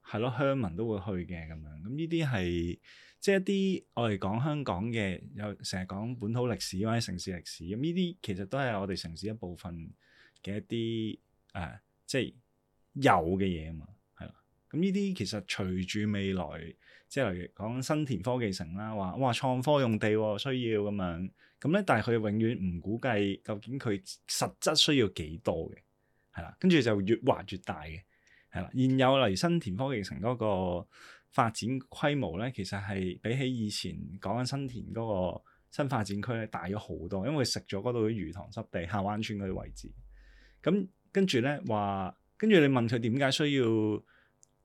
係咯鄉民都會去嘅咁樣。咁呢啲係即係一啲我哋講香港嘅有成日講本土歷史或者城市歷史，咁呢啲其實都係我哋城市一部分嘅一啲誒、呃、即係有嘅嘢啊嘛，係啦。咁呢啲其實隨住未來即係例如講新田科技城啦，話哇創科用地、哦、需要咁樣，咁咧但係佢永遠唔估計究竟佢實質需要幾多嘅，係啦，跟住就越畫越大嘅，係啦。現有例如新田科技城嗰個發展規模咧，其實係比起以前講緊新田嗰個新發展區咧大咗好多，因為食咗嗰度啲魚塘濕地、下灣村嗰啲位置。咁跟住咧話，跟住你問佢點解需要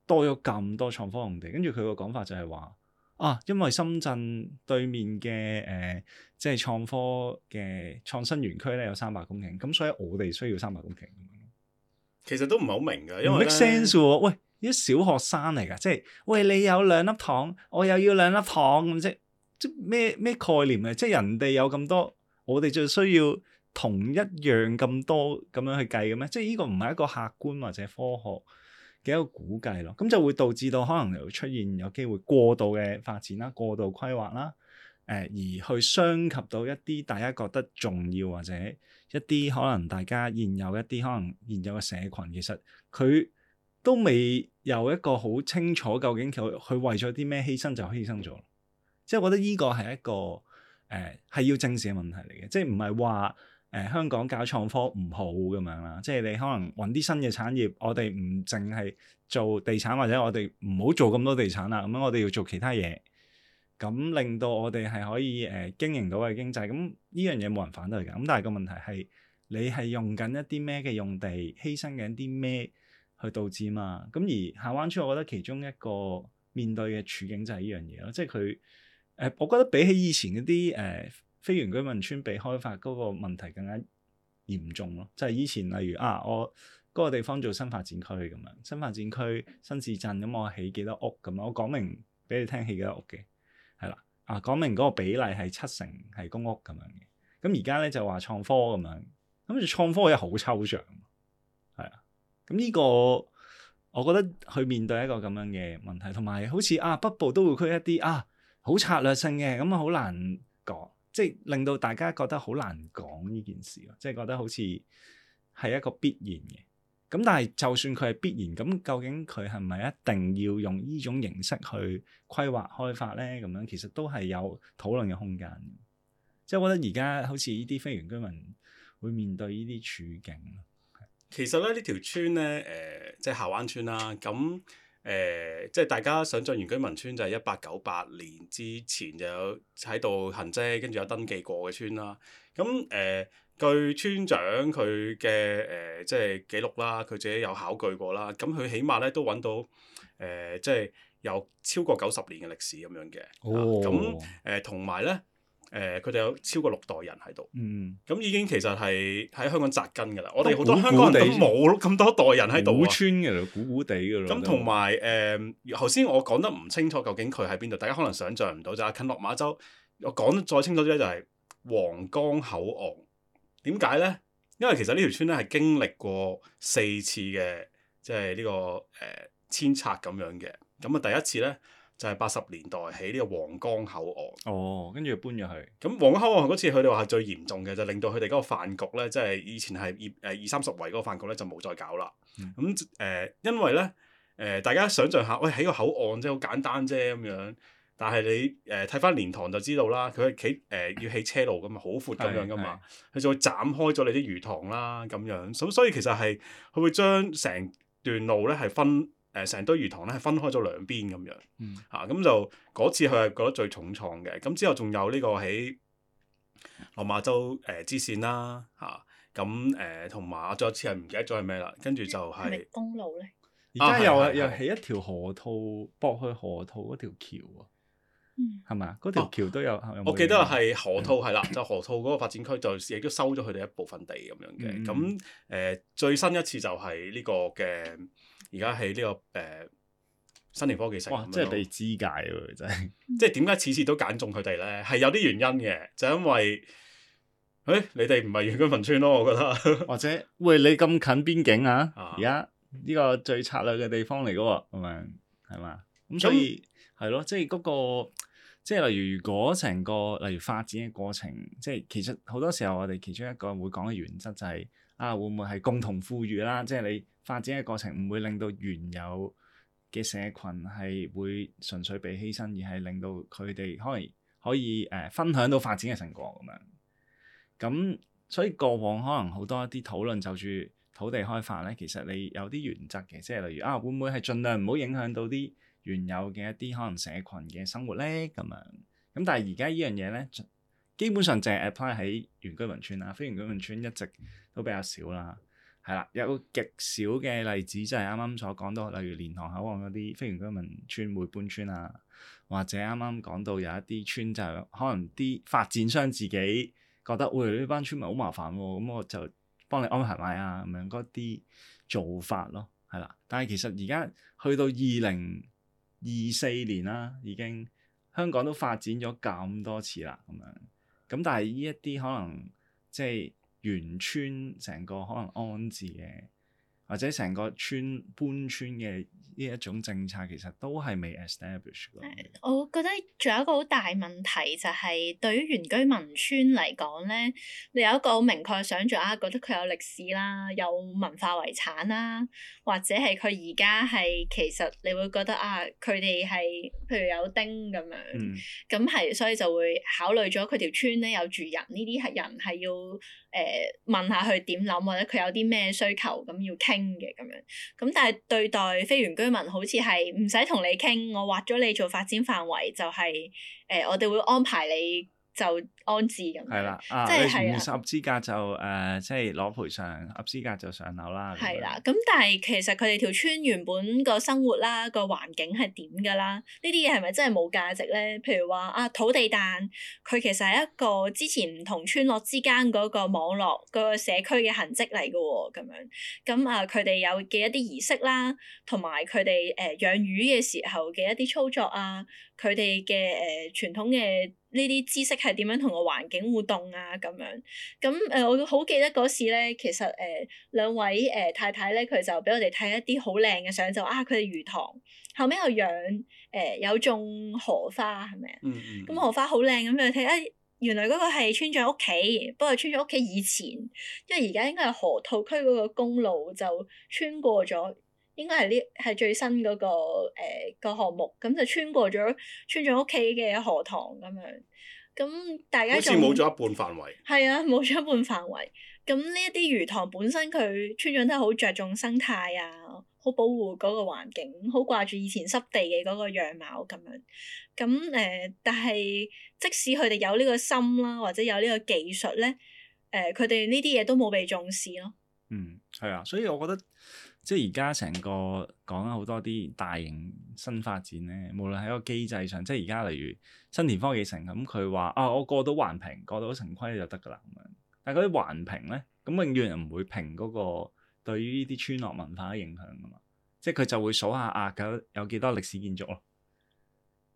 多咗咁多創科用地，跟住佢個講法就係話啊，因為深圳對面嘅誒、呃，即係創科嘅創新園區咧有三百公頃，咁所以我哋需要三百公頃。其實都唔係好明㗎，因為唔 make sense 喎。喂，啲小學生嚟㗎，即係喂你有兩粒糖，我又要兩粒糖咁啫，即咩咩概念啊？即係人哋有咁多，我哋就需要同一樣咁多咁樣去計嘅咩？即係呢個唔係一個客觀或者科學嘅一個估計咯。咁就會導致到可能會出現有機會過度嘅發展啦、過度規劃啦，誒、呃、而去傷及到一啲大家覺得重要或者一啲可能大家現有一啲可能現有嘅社群，其實佢都未有一個好清楚究竟佢佢為咗啲咩犧牲就犧牲咗。即係我覺得呢個係一個誒係、呃、要正視嘅問題嚟嘅，即係唔係話誒香港搞創科唔好咁樣啦。即係你可能揾啲新嘅產業，我哋唔淨係做地產，或者我哋唔好做咁多地產啦。咁樣我哋要做其他嘢，咁令到我哋係可以誒、呃、經營到嘅經濟。咁呢樣嘢冇人反對㗎。咁但係個問題係你係用緊一啲咩嘅用地，犧牲緊啲咩去導致嘛？咁而下灣村，我覺得其中一個面對嘅處境就係呢樣嘢咯，即係佢誒，我覺得比起以前嗰啲誒非原居民村被開發嗰個問題更加嚴重咯。就係、是、以前例如啊，我嗰個地方做新發展區咁樣，新發展區新市鎮咁，我起幾多屋咁樣，我講明俾你聽起幾多屋嘅，係啦啊，講明嗰個比例係七成係公屋咁樣嘅。咁而家咧就話創科咁樣，咁就創科又好抽象，係啊。咁呢個我覺得去面對一個咁樣嘅問題，同埋好似啊北部都會區一啲啊好策略性嘅，咁啊好難講，即係令到大家覺得好難講呢件事咯，即係覺得好似係一個必然嘅。咁但係就算佢係必然，咁究竟佢係咪一定要用呢種形式去規劃開發咧？咁樣其實都係有討論嘅空間。即係我覺得而家好似呢啲非原居民會面對呢啲處境。其實咧呢條村咧，誒、呃、即係下灣村啦。咁誒、呃、即係大家想像原居民村就係一八九八年之前就有喺度行跡，跟住有登記過嘅村啦。咁誒、呃、據村長佢嘅誒即係記錄啦，佢自己有考據過啦。咁佢起碼咧都揾到誒、呃、即係有超過九十年嘅歷史咁樣嘅。哦。咁誒同埋咧。誒佢哋有超過六代人喺度，咁、嗯、已經其實係喺香港紮根㗎啦。我哋好多香港人都冇咁多代人喺度啊，古村嘅啦，古古地㗎啦。咁同埋誒，頭先、呃、我講得唔清楚，究竟佢喺邊度？大家可能想像唔到就係近落馬洲。我講得再清楚啲咧，就係皇崗口岸。點解咧？因為其實呢條村咧係經歷過四次嘅，即係呢個誒遷拆咁樣嘅。咁啊，第一次咧。就係八十年代起呢個皇崗口岸。哦，跟住搬咗去。咁皇崗口岸嗰次佢哋話係最嚴重嘅，就令到佢哋嗰個飯局咧，即係以前係二誒二三十圍嗰個飯局咧，就冇再搞啦。咁誒、嗯呃，因為咧誒、呃，大家想象下，喂起個口岸即係好簡單啫咁樣，但係你誒睇翻蓮塘就知道啦，佢係起誒要起車路噶嘛，好闊咁樣噶嘛，佢就會斬開咗你啲魚塘啦咁樣。咁所以其實係佢會將成段路咧係分。誒成堆魚塘咧係分開咗兩邊咁樣，嗯、啊咁就嗰次佢係覺得最重創嘅。咁之後仲有呢個喺落馬洲誒、呃、支線啦，嚇咁誒同埋仲有次係唔記得咗係咩啦，跟住就係、是、公路咧。而家又又起一條河套駁去河套嗰條橋啊！係咪啊？嗰條橋都有，哦、有冇我記得係河套係啦，就河套嗰個發展區就亦都收咗佢哋一部分地咁樣嘅。咁誒、嗯呃、最新一次就係呢個嘅，而家喺呢個誒、呃、新田科技城。哇！即係地資界喎，真係。即係點解次次都揀中佢哋咧？係有啲原因嘅，就因為誒、欸、你哋唔係原居民村咯，我覺得。或者喂，你咁近邊境啊？而家呢個最策略嘅地方嚟嘅喎，咁樣係嘛？咁所以係咯，即係嗰個。即係例如，如果成個例如發展嘅過程，即係其實好多時候我哋其中一個會講嘅原則就係、是、啊，會唔會係共同富裕啦？即係你發展嘅過程唔會令到原有嘅社群係會純粹被犧牲，而係令到佢哋可能可以誒、呃、分享到發展嘅成果咁樣。咁所以過往可能好多一啲討論就住土地開發咧，其實你有啲原則嘅，即係例如啊，會唔會係盡量唔好影響到啲原有嘅一啲可能社群嘅生活咧，咁樣咁，但係而家呢樣嘢咧，基本上淨係 apply 喺原居民村啦，非原居民村一直都比較少啦，係啦，有極少嘅例子就係啱啱所講到，例如蓮塘口岸嗰啲非原居民村會搬村啊，或者啱啱講到有一啲村就可能啲發展商自己覺得，喂，呢班村民好麻煩喎，咁我就幫你安排埋啊，咁樣嗰啲做法咯，係啦，但係其實而家去到二零二四年啦，已經香港都發展咗咁多次啦，咁樣咁，但係呢一啲可能即係原村成個可能安置嘅，或者成個村搬村嘅呢一種政策，其實都係未 establish 嘅。我覺得仲有一個好大問題就係、是、對於原居民村嚟講咧，你有一個好明確嘅想像啊，覺得佢有歷史啦，有文化遺產啦，或者係佢而家係其實你會覺得啊，佢哋係譬如有丁咁樣，咁係、嗯、所以就會考慮咗佢條村咧有住人，呢啲係人係要誒、呃、問下佢點諗，或者佢有啲咩需求咁要傾嘅咁樣。咁但係對待非原居民好似係唔使同你傾，我劃咗你做發展範圍就係、是、誒、呃，我哋會安排你就安置咁樣。係啦，啊，即係你唔合資格就誒、呃，即係攞賠償；合資格就上樓啦。係啦，咁但係其實佢哋條村原本個生活啦、個環境係點㗎啦？呢啲嘢係咪真係冇價值咧？譬如話啊，土地誕佢其實係一個之前唔同村落之間嗰個網絡、嗰個社區嘅痕跡嚟㗎喎，咁樣咁啊，佢哋有嘅一啲儀式啦，同埋佢哋誒養魚嘅時候嘅一啲操作啊，佢哋嘅誒傳統嘅呢啲知識係點樣同個環境互動啊？咁樣咁誒、呃，我好記得嗰時咧，其實誒、呃、兩位誒、呃、太太咧，佢就俾我哋睇一啲好靚嘅相，就啊佢哋魚塘後尾又養誒、呃、有種荷花係咪啊？嗯嗯。咁荷花好靚咁樣睇啊，原來嗰個係村長屋企，不過村長屋企以前，因為而家應該係河套區嗰個公路就穿過咗。應該係呢係最新嗰、那個誒、呃、個項目，咁就穿過咗村長屋企嘅河塘咁樣，咁大家仲好似冇咗一半範圍。係啊，冇咗一半範圍。咁呢一啲魚塘本身佢村長都係好着重生態啊，好保護嗰個環境，好掛住以前濕地嘅嗰個樣貌咁樣。咁誒、呃，但係即使佢哋有呢個心啦，或者有呢個技術咧，誒佢哋呢啲嘢都冇被重視咯。嗯，係啊，所以我覺得。即係而家成個講咗好多啲大型新發展咧，無論喺個機制上，即係而家例如新田科技城咁，佢話啊，我過到環評，過到城規就得㗎啦咁樣。但係嗰啲環評咧，咁永遠唔會評嗰個對於呢啲村落文化嘅影響㗎嘛。即係佢就會數下啊，有有幾多歷史建築咯。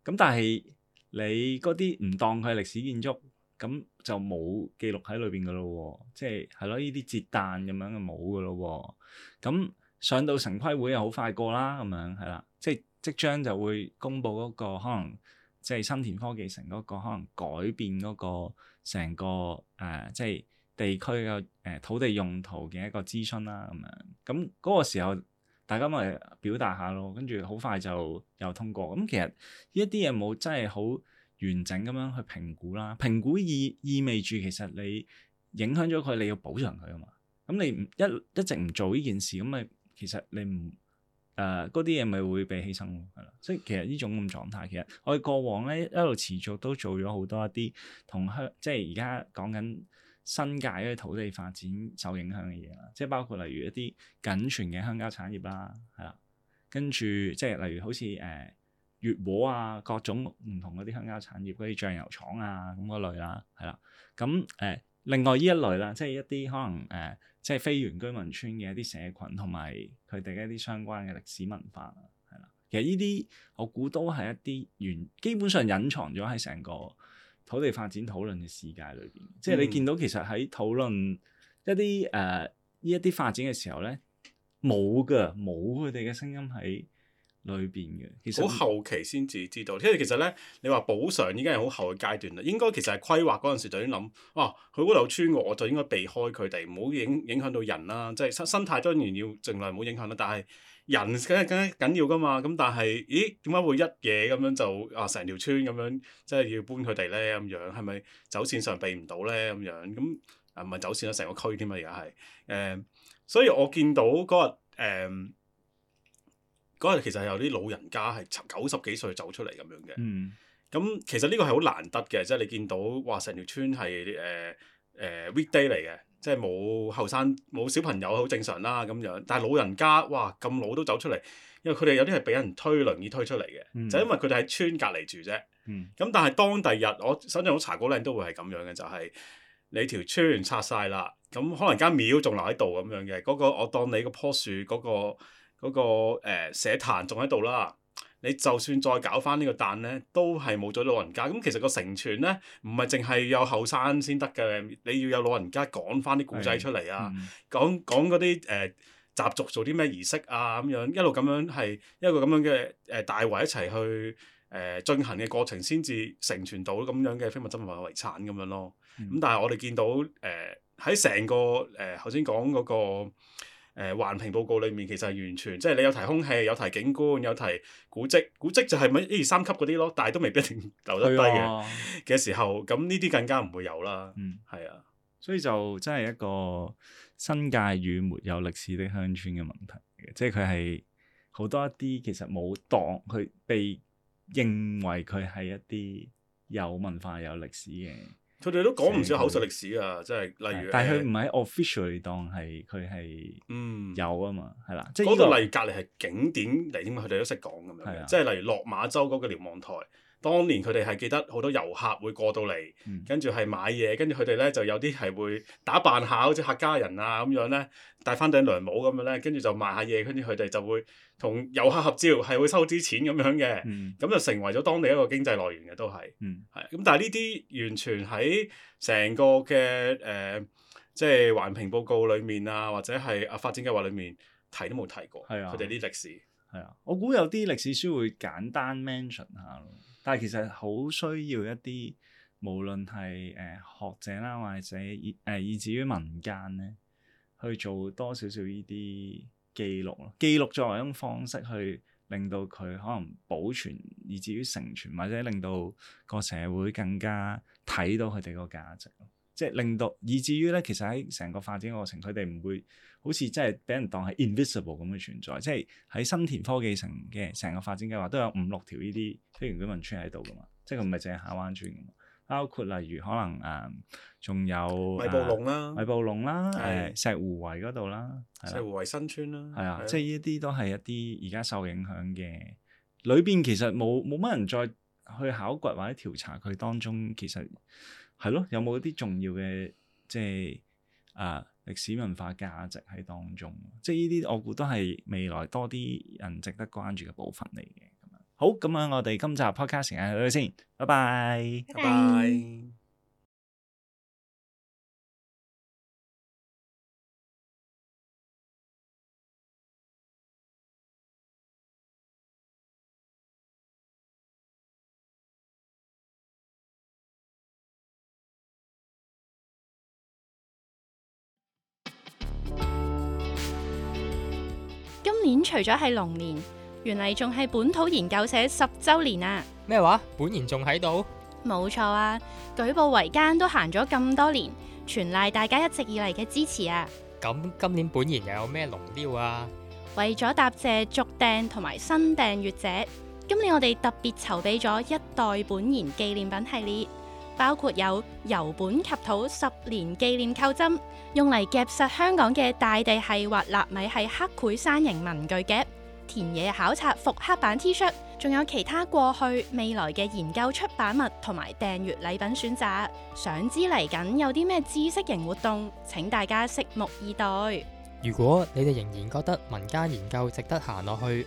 咁但係你嗰啲唔當佢係歷史建築，咁就冇記錄喺裏邊㗎咯喎。即係係咯，呢啲節誕咁樣就冇㗎咯喎。咁上到城規會又好快過啦，咁樣係啦，即係即將就會公布嗰個可能即係新田科技城嗰個可能改變嗰個成個誒、呃、即係地區嘅誒土地用途嘅一個諮詢啦，咁樣咁嗰個時候大家咪表達下咯，跟住好快就又通過。咁其實呢一啲嘢冇真係好完整咁樣去評估啦，評估意意味住其實你影響咗佢，你要補償佢啊嘛。咁你唔一一直唔做呢件事，咁咪其實你唔誒嗰啲嘢咪會被犧牲咯，係啦。所以其實呢種咁狀態，其實我哋過往咧一路持續都做咗好多一啲同鄉，即係而家講緊新界嘅土地發展受影響嘅嘢啦。即係包括例如一啲僅存嘅鄉郊產業啦，係啦，跟住即係例如好似誒越禾啊，各種唔同嗰啲鄉郊產業嗰啲醬油廠啊咁嗰類啦，係啦。咁誒、呃、另外呢一類啦，即係一啲可能誒、呃、即係非原居民村嘅一啲社群同埋佢哋一啲相關嘅歷史文化啦，係啦。其實呢啲我估都係一啲原基本上隱藏咗喺成個土地發展討論嘅世界裏邊，嗯、即係你見到其實喺討論一啲誒呢一啲發展嘅時候咧，冇㗎，冇佢哋嘅聲音喺裏邊嘅。其實好後期先至知道，因為其實咧，你話補償已經係好後嘅階段啦。應該其實係規劃嗰陣時就已經諗，哇、啊，佢嗰度村喎，我就應該避開佢哋，唔好影影響到人啦。即係生生態當然要盡量唔好影響啦，但係人梗係梗係緊要㗎嘛。咁但係，咦，點解會一嘢咁樣就啊成條村咁樣，即係要搬佢哋咧咁樣？係咪走線上避唔到咧咁樣？咁啊唔係走線啦，成個區添啊，而家係誒，所以我見到嗰日誒。嗰日其實係有啲老人家係九十幾歲走出嚟咁樣嘅，咁、嗯、其實呢個係好難得嘅，即係你見到哇成條村係誒誒 weekday 嚟嘅，即係冇後生冇小朋友好正常啦咁樣，但係老人家哇咁老都走出嚟，因為佢哋有啲係俾人推輪椅推出嚟嘅，嗯、就因為佢哋喺村隔離住啫。咁、嗯、但係當第日我相信好茶果嶺都會係咁樣嘅，就係、是、你條村拆晒啦，咁可能間廟仲留喺度咁樣嘅，嗰、那個我當你嗰棵樹嗰、那個。嗰、那個誒、呃、社壇仲喺度啦，你就算再搞翻呢個誕咧，都係冇咗老人家。咁其實個承傳咧，唔係淨係有後生先得嘅，你要有老人家講翻啲古仔出嚟啊，嗯、講講嗰啲誒習俗做啲咩儀式啊咁樣，一路咁樣係一個咁樣嘅誒、呃、大圍一齊去誒、呃、進行嘅過程，先至承傳到咁樣嘅非物質文化遺產咁樣咯。咁、嗯、但係我哋見到誒喺成個誒頭先講嗰個。誒環評報告裏面其實係完全即係你有提空氣，有提景觀，有提古蹟，古蹟就係咪一二三級嗰啲咯，但係都未必一定留得低嘅嘅時候，咁呢啲更加唔會有啦。嗯，係啊，所以就真係一個新界與沒有歷史的鄉村嘅問題嘅，即係佢係好多一啲其實冇當佢被認為佢係一啲有文化有歷史嘅。佢哋都講唔少口述歷史啊，即係例如，但係佢唔係 officially 當係佢係有啊嘛，係啦、嗯，即係嗰度例如隔離係景點嚟添嘛，佢哋都識講咁樣嘅，的即係例如落馬洲嗰個瞭望台，當年佢哋係記得好多遊客會過到嚟，嗯、跟住係買嘢，跟住佢哋咧就有啲係會打扮下好似客家人啊咁樣咧，戴翻頂涼帽咁樣咧，跟住就賣下嘢，跟住佢哋就會同遊客合照，係會收啲錢咁樣嘅，咁、嗯、就成為咗當地一個經濟來源嘅都係，係咁、嗯，但係呢啲完全喺成個嘅誒、呃，即係環評報告裡面啊，或者係啊發展計劃裡面提都冇提過，佢哋啲歷史係啊，我估有啲歷史書會簡單 mention 下咯。但係其實好需要一啲，無論係誒、呃、學者啦，或者以誒、呃、以至於民間咧，去做多少少呢啲記錄咯。記錄作為一種方式，去令到佢可能保存，以至於承傳，或者令到個社會更加睇到佢哋個價值咯。即係令到，以至於咧，其實喺成個發展過程，佢哋唔會好似真係俾人當係 invisible 咁嘅存在。即係喺新田科技城嘅成個發展計劃都有五六條呢啲非原居民村喺度噶嘛。即係佢唔係淨係下灣村噶嘛，包括例如可能誒，仲、呃、有米埔弄啦、米埔弄啦、誒、的呃、石湖圍嗰度啦、石湖圍新村啦，係啊，的即係呢啲都係一啲而家受影響嘅。裏邊其實冇冇乜人再去考掘或者調查佢當中其實。係咯，有冇啲重要嘅即係啊歷史文化價值喺當中？即係呢啲我估都係未來多啲人值得關注嘅部分嚟嘅。咁樣好，咁樣我哋今集 podcast 時間去到先，拜拜，拜拜。今年除咗係龍年，原嚟仲係本土研究社十週年啊！咩話？本研仲喺度？冇錯啊！舉步維艱都行咗咁多年，全賴大家一直以嚟嘅支持啊！咁今年本研又有咩龍雕啊？為咗答謝續訂同埋新訂閱者，今年我哋特別籌備咗一代本研紀念品系列，包括有由本及土十年紀念扣針，用嚟夾實香港嘅大地系或納米系刻繪山形文具夾，田野考察復刻版 T 恤，仲有其他過去未來嘅研究出版物同埋訂閱禮品選擇。想知嚟緊有啲咩知識型活動，請大家拭目以待。如果你哋仍然覺得民間研究值得行落去，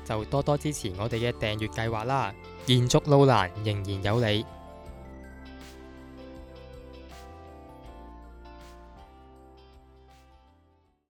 就多多支持我哋嘅訂閱計劃啦。延續路難，仍然有你。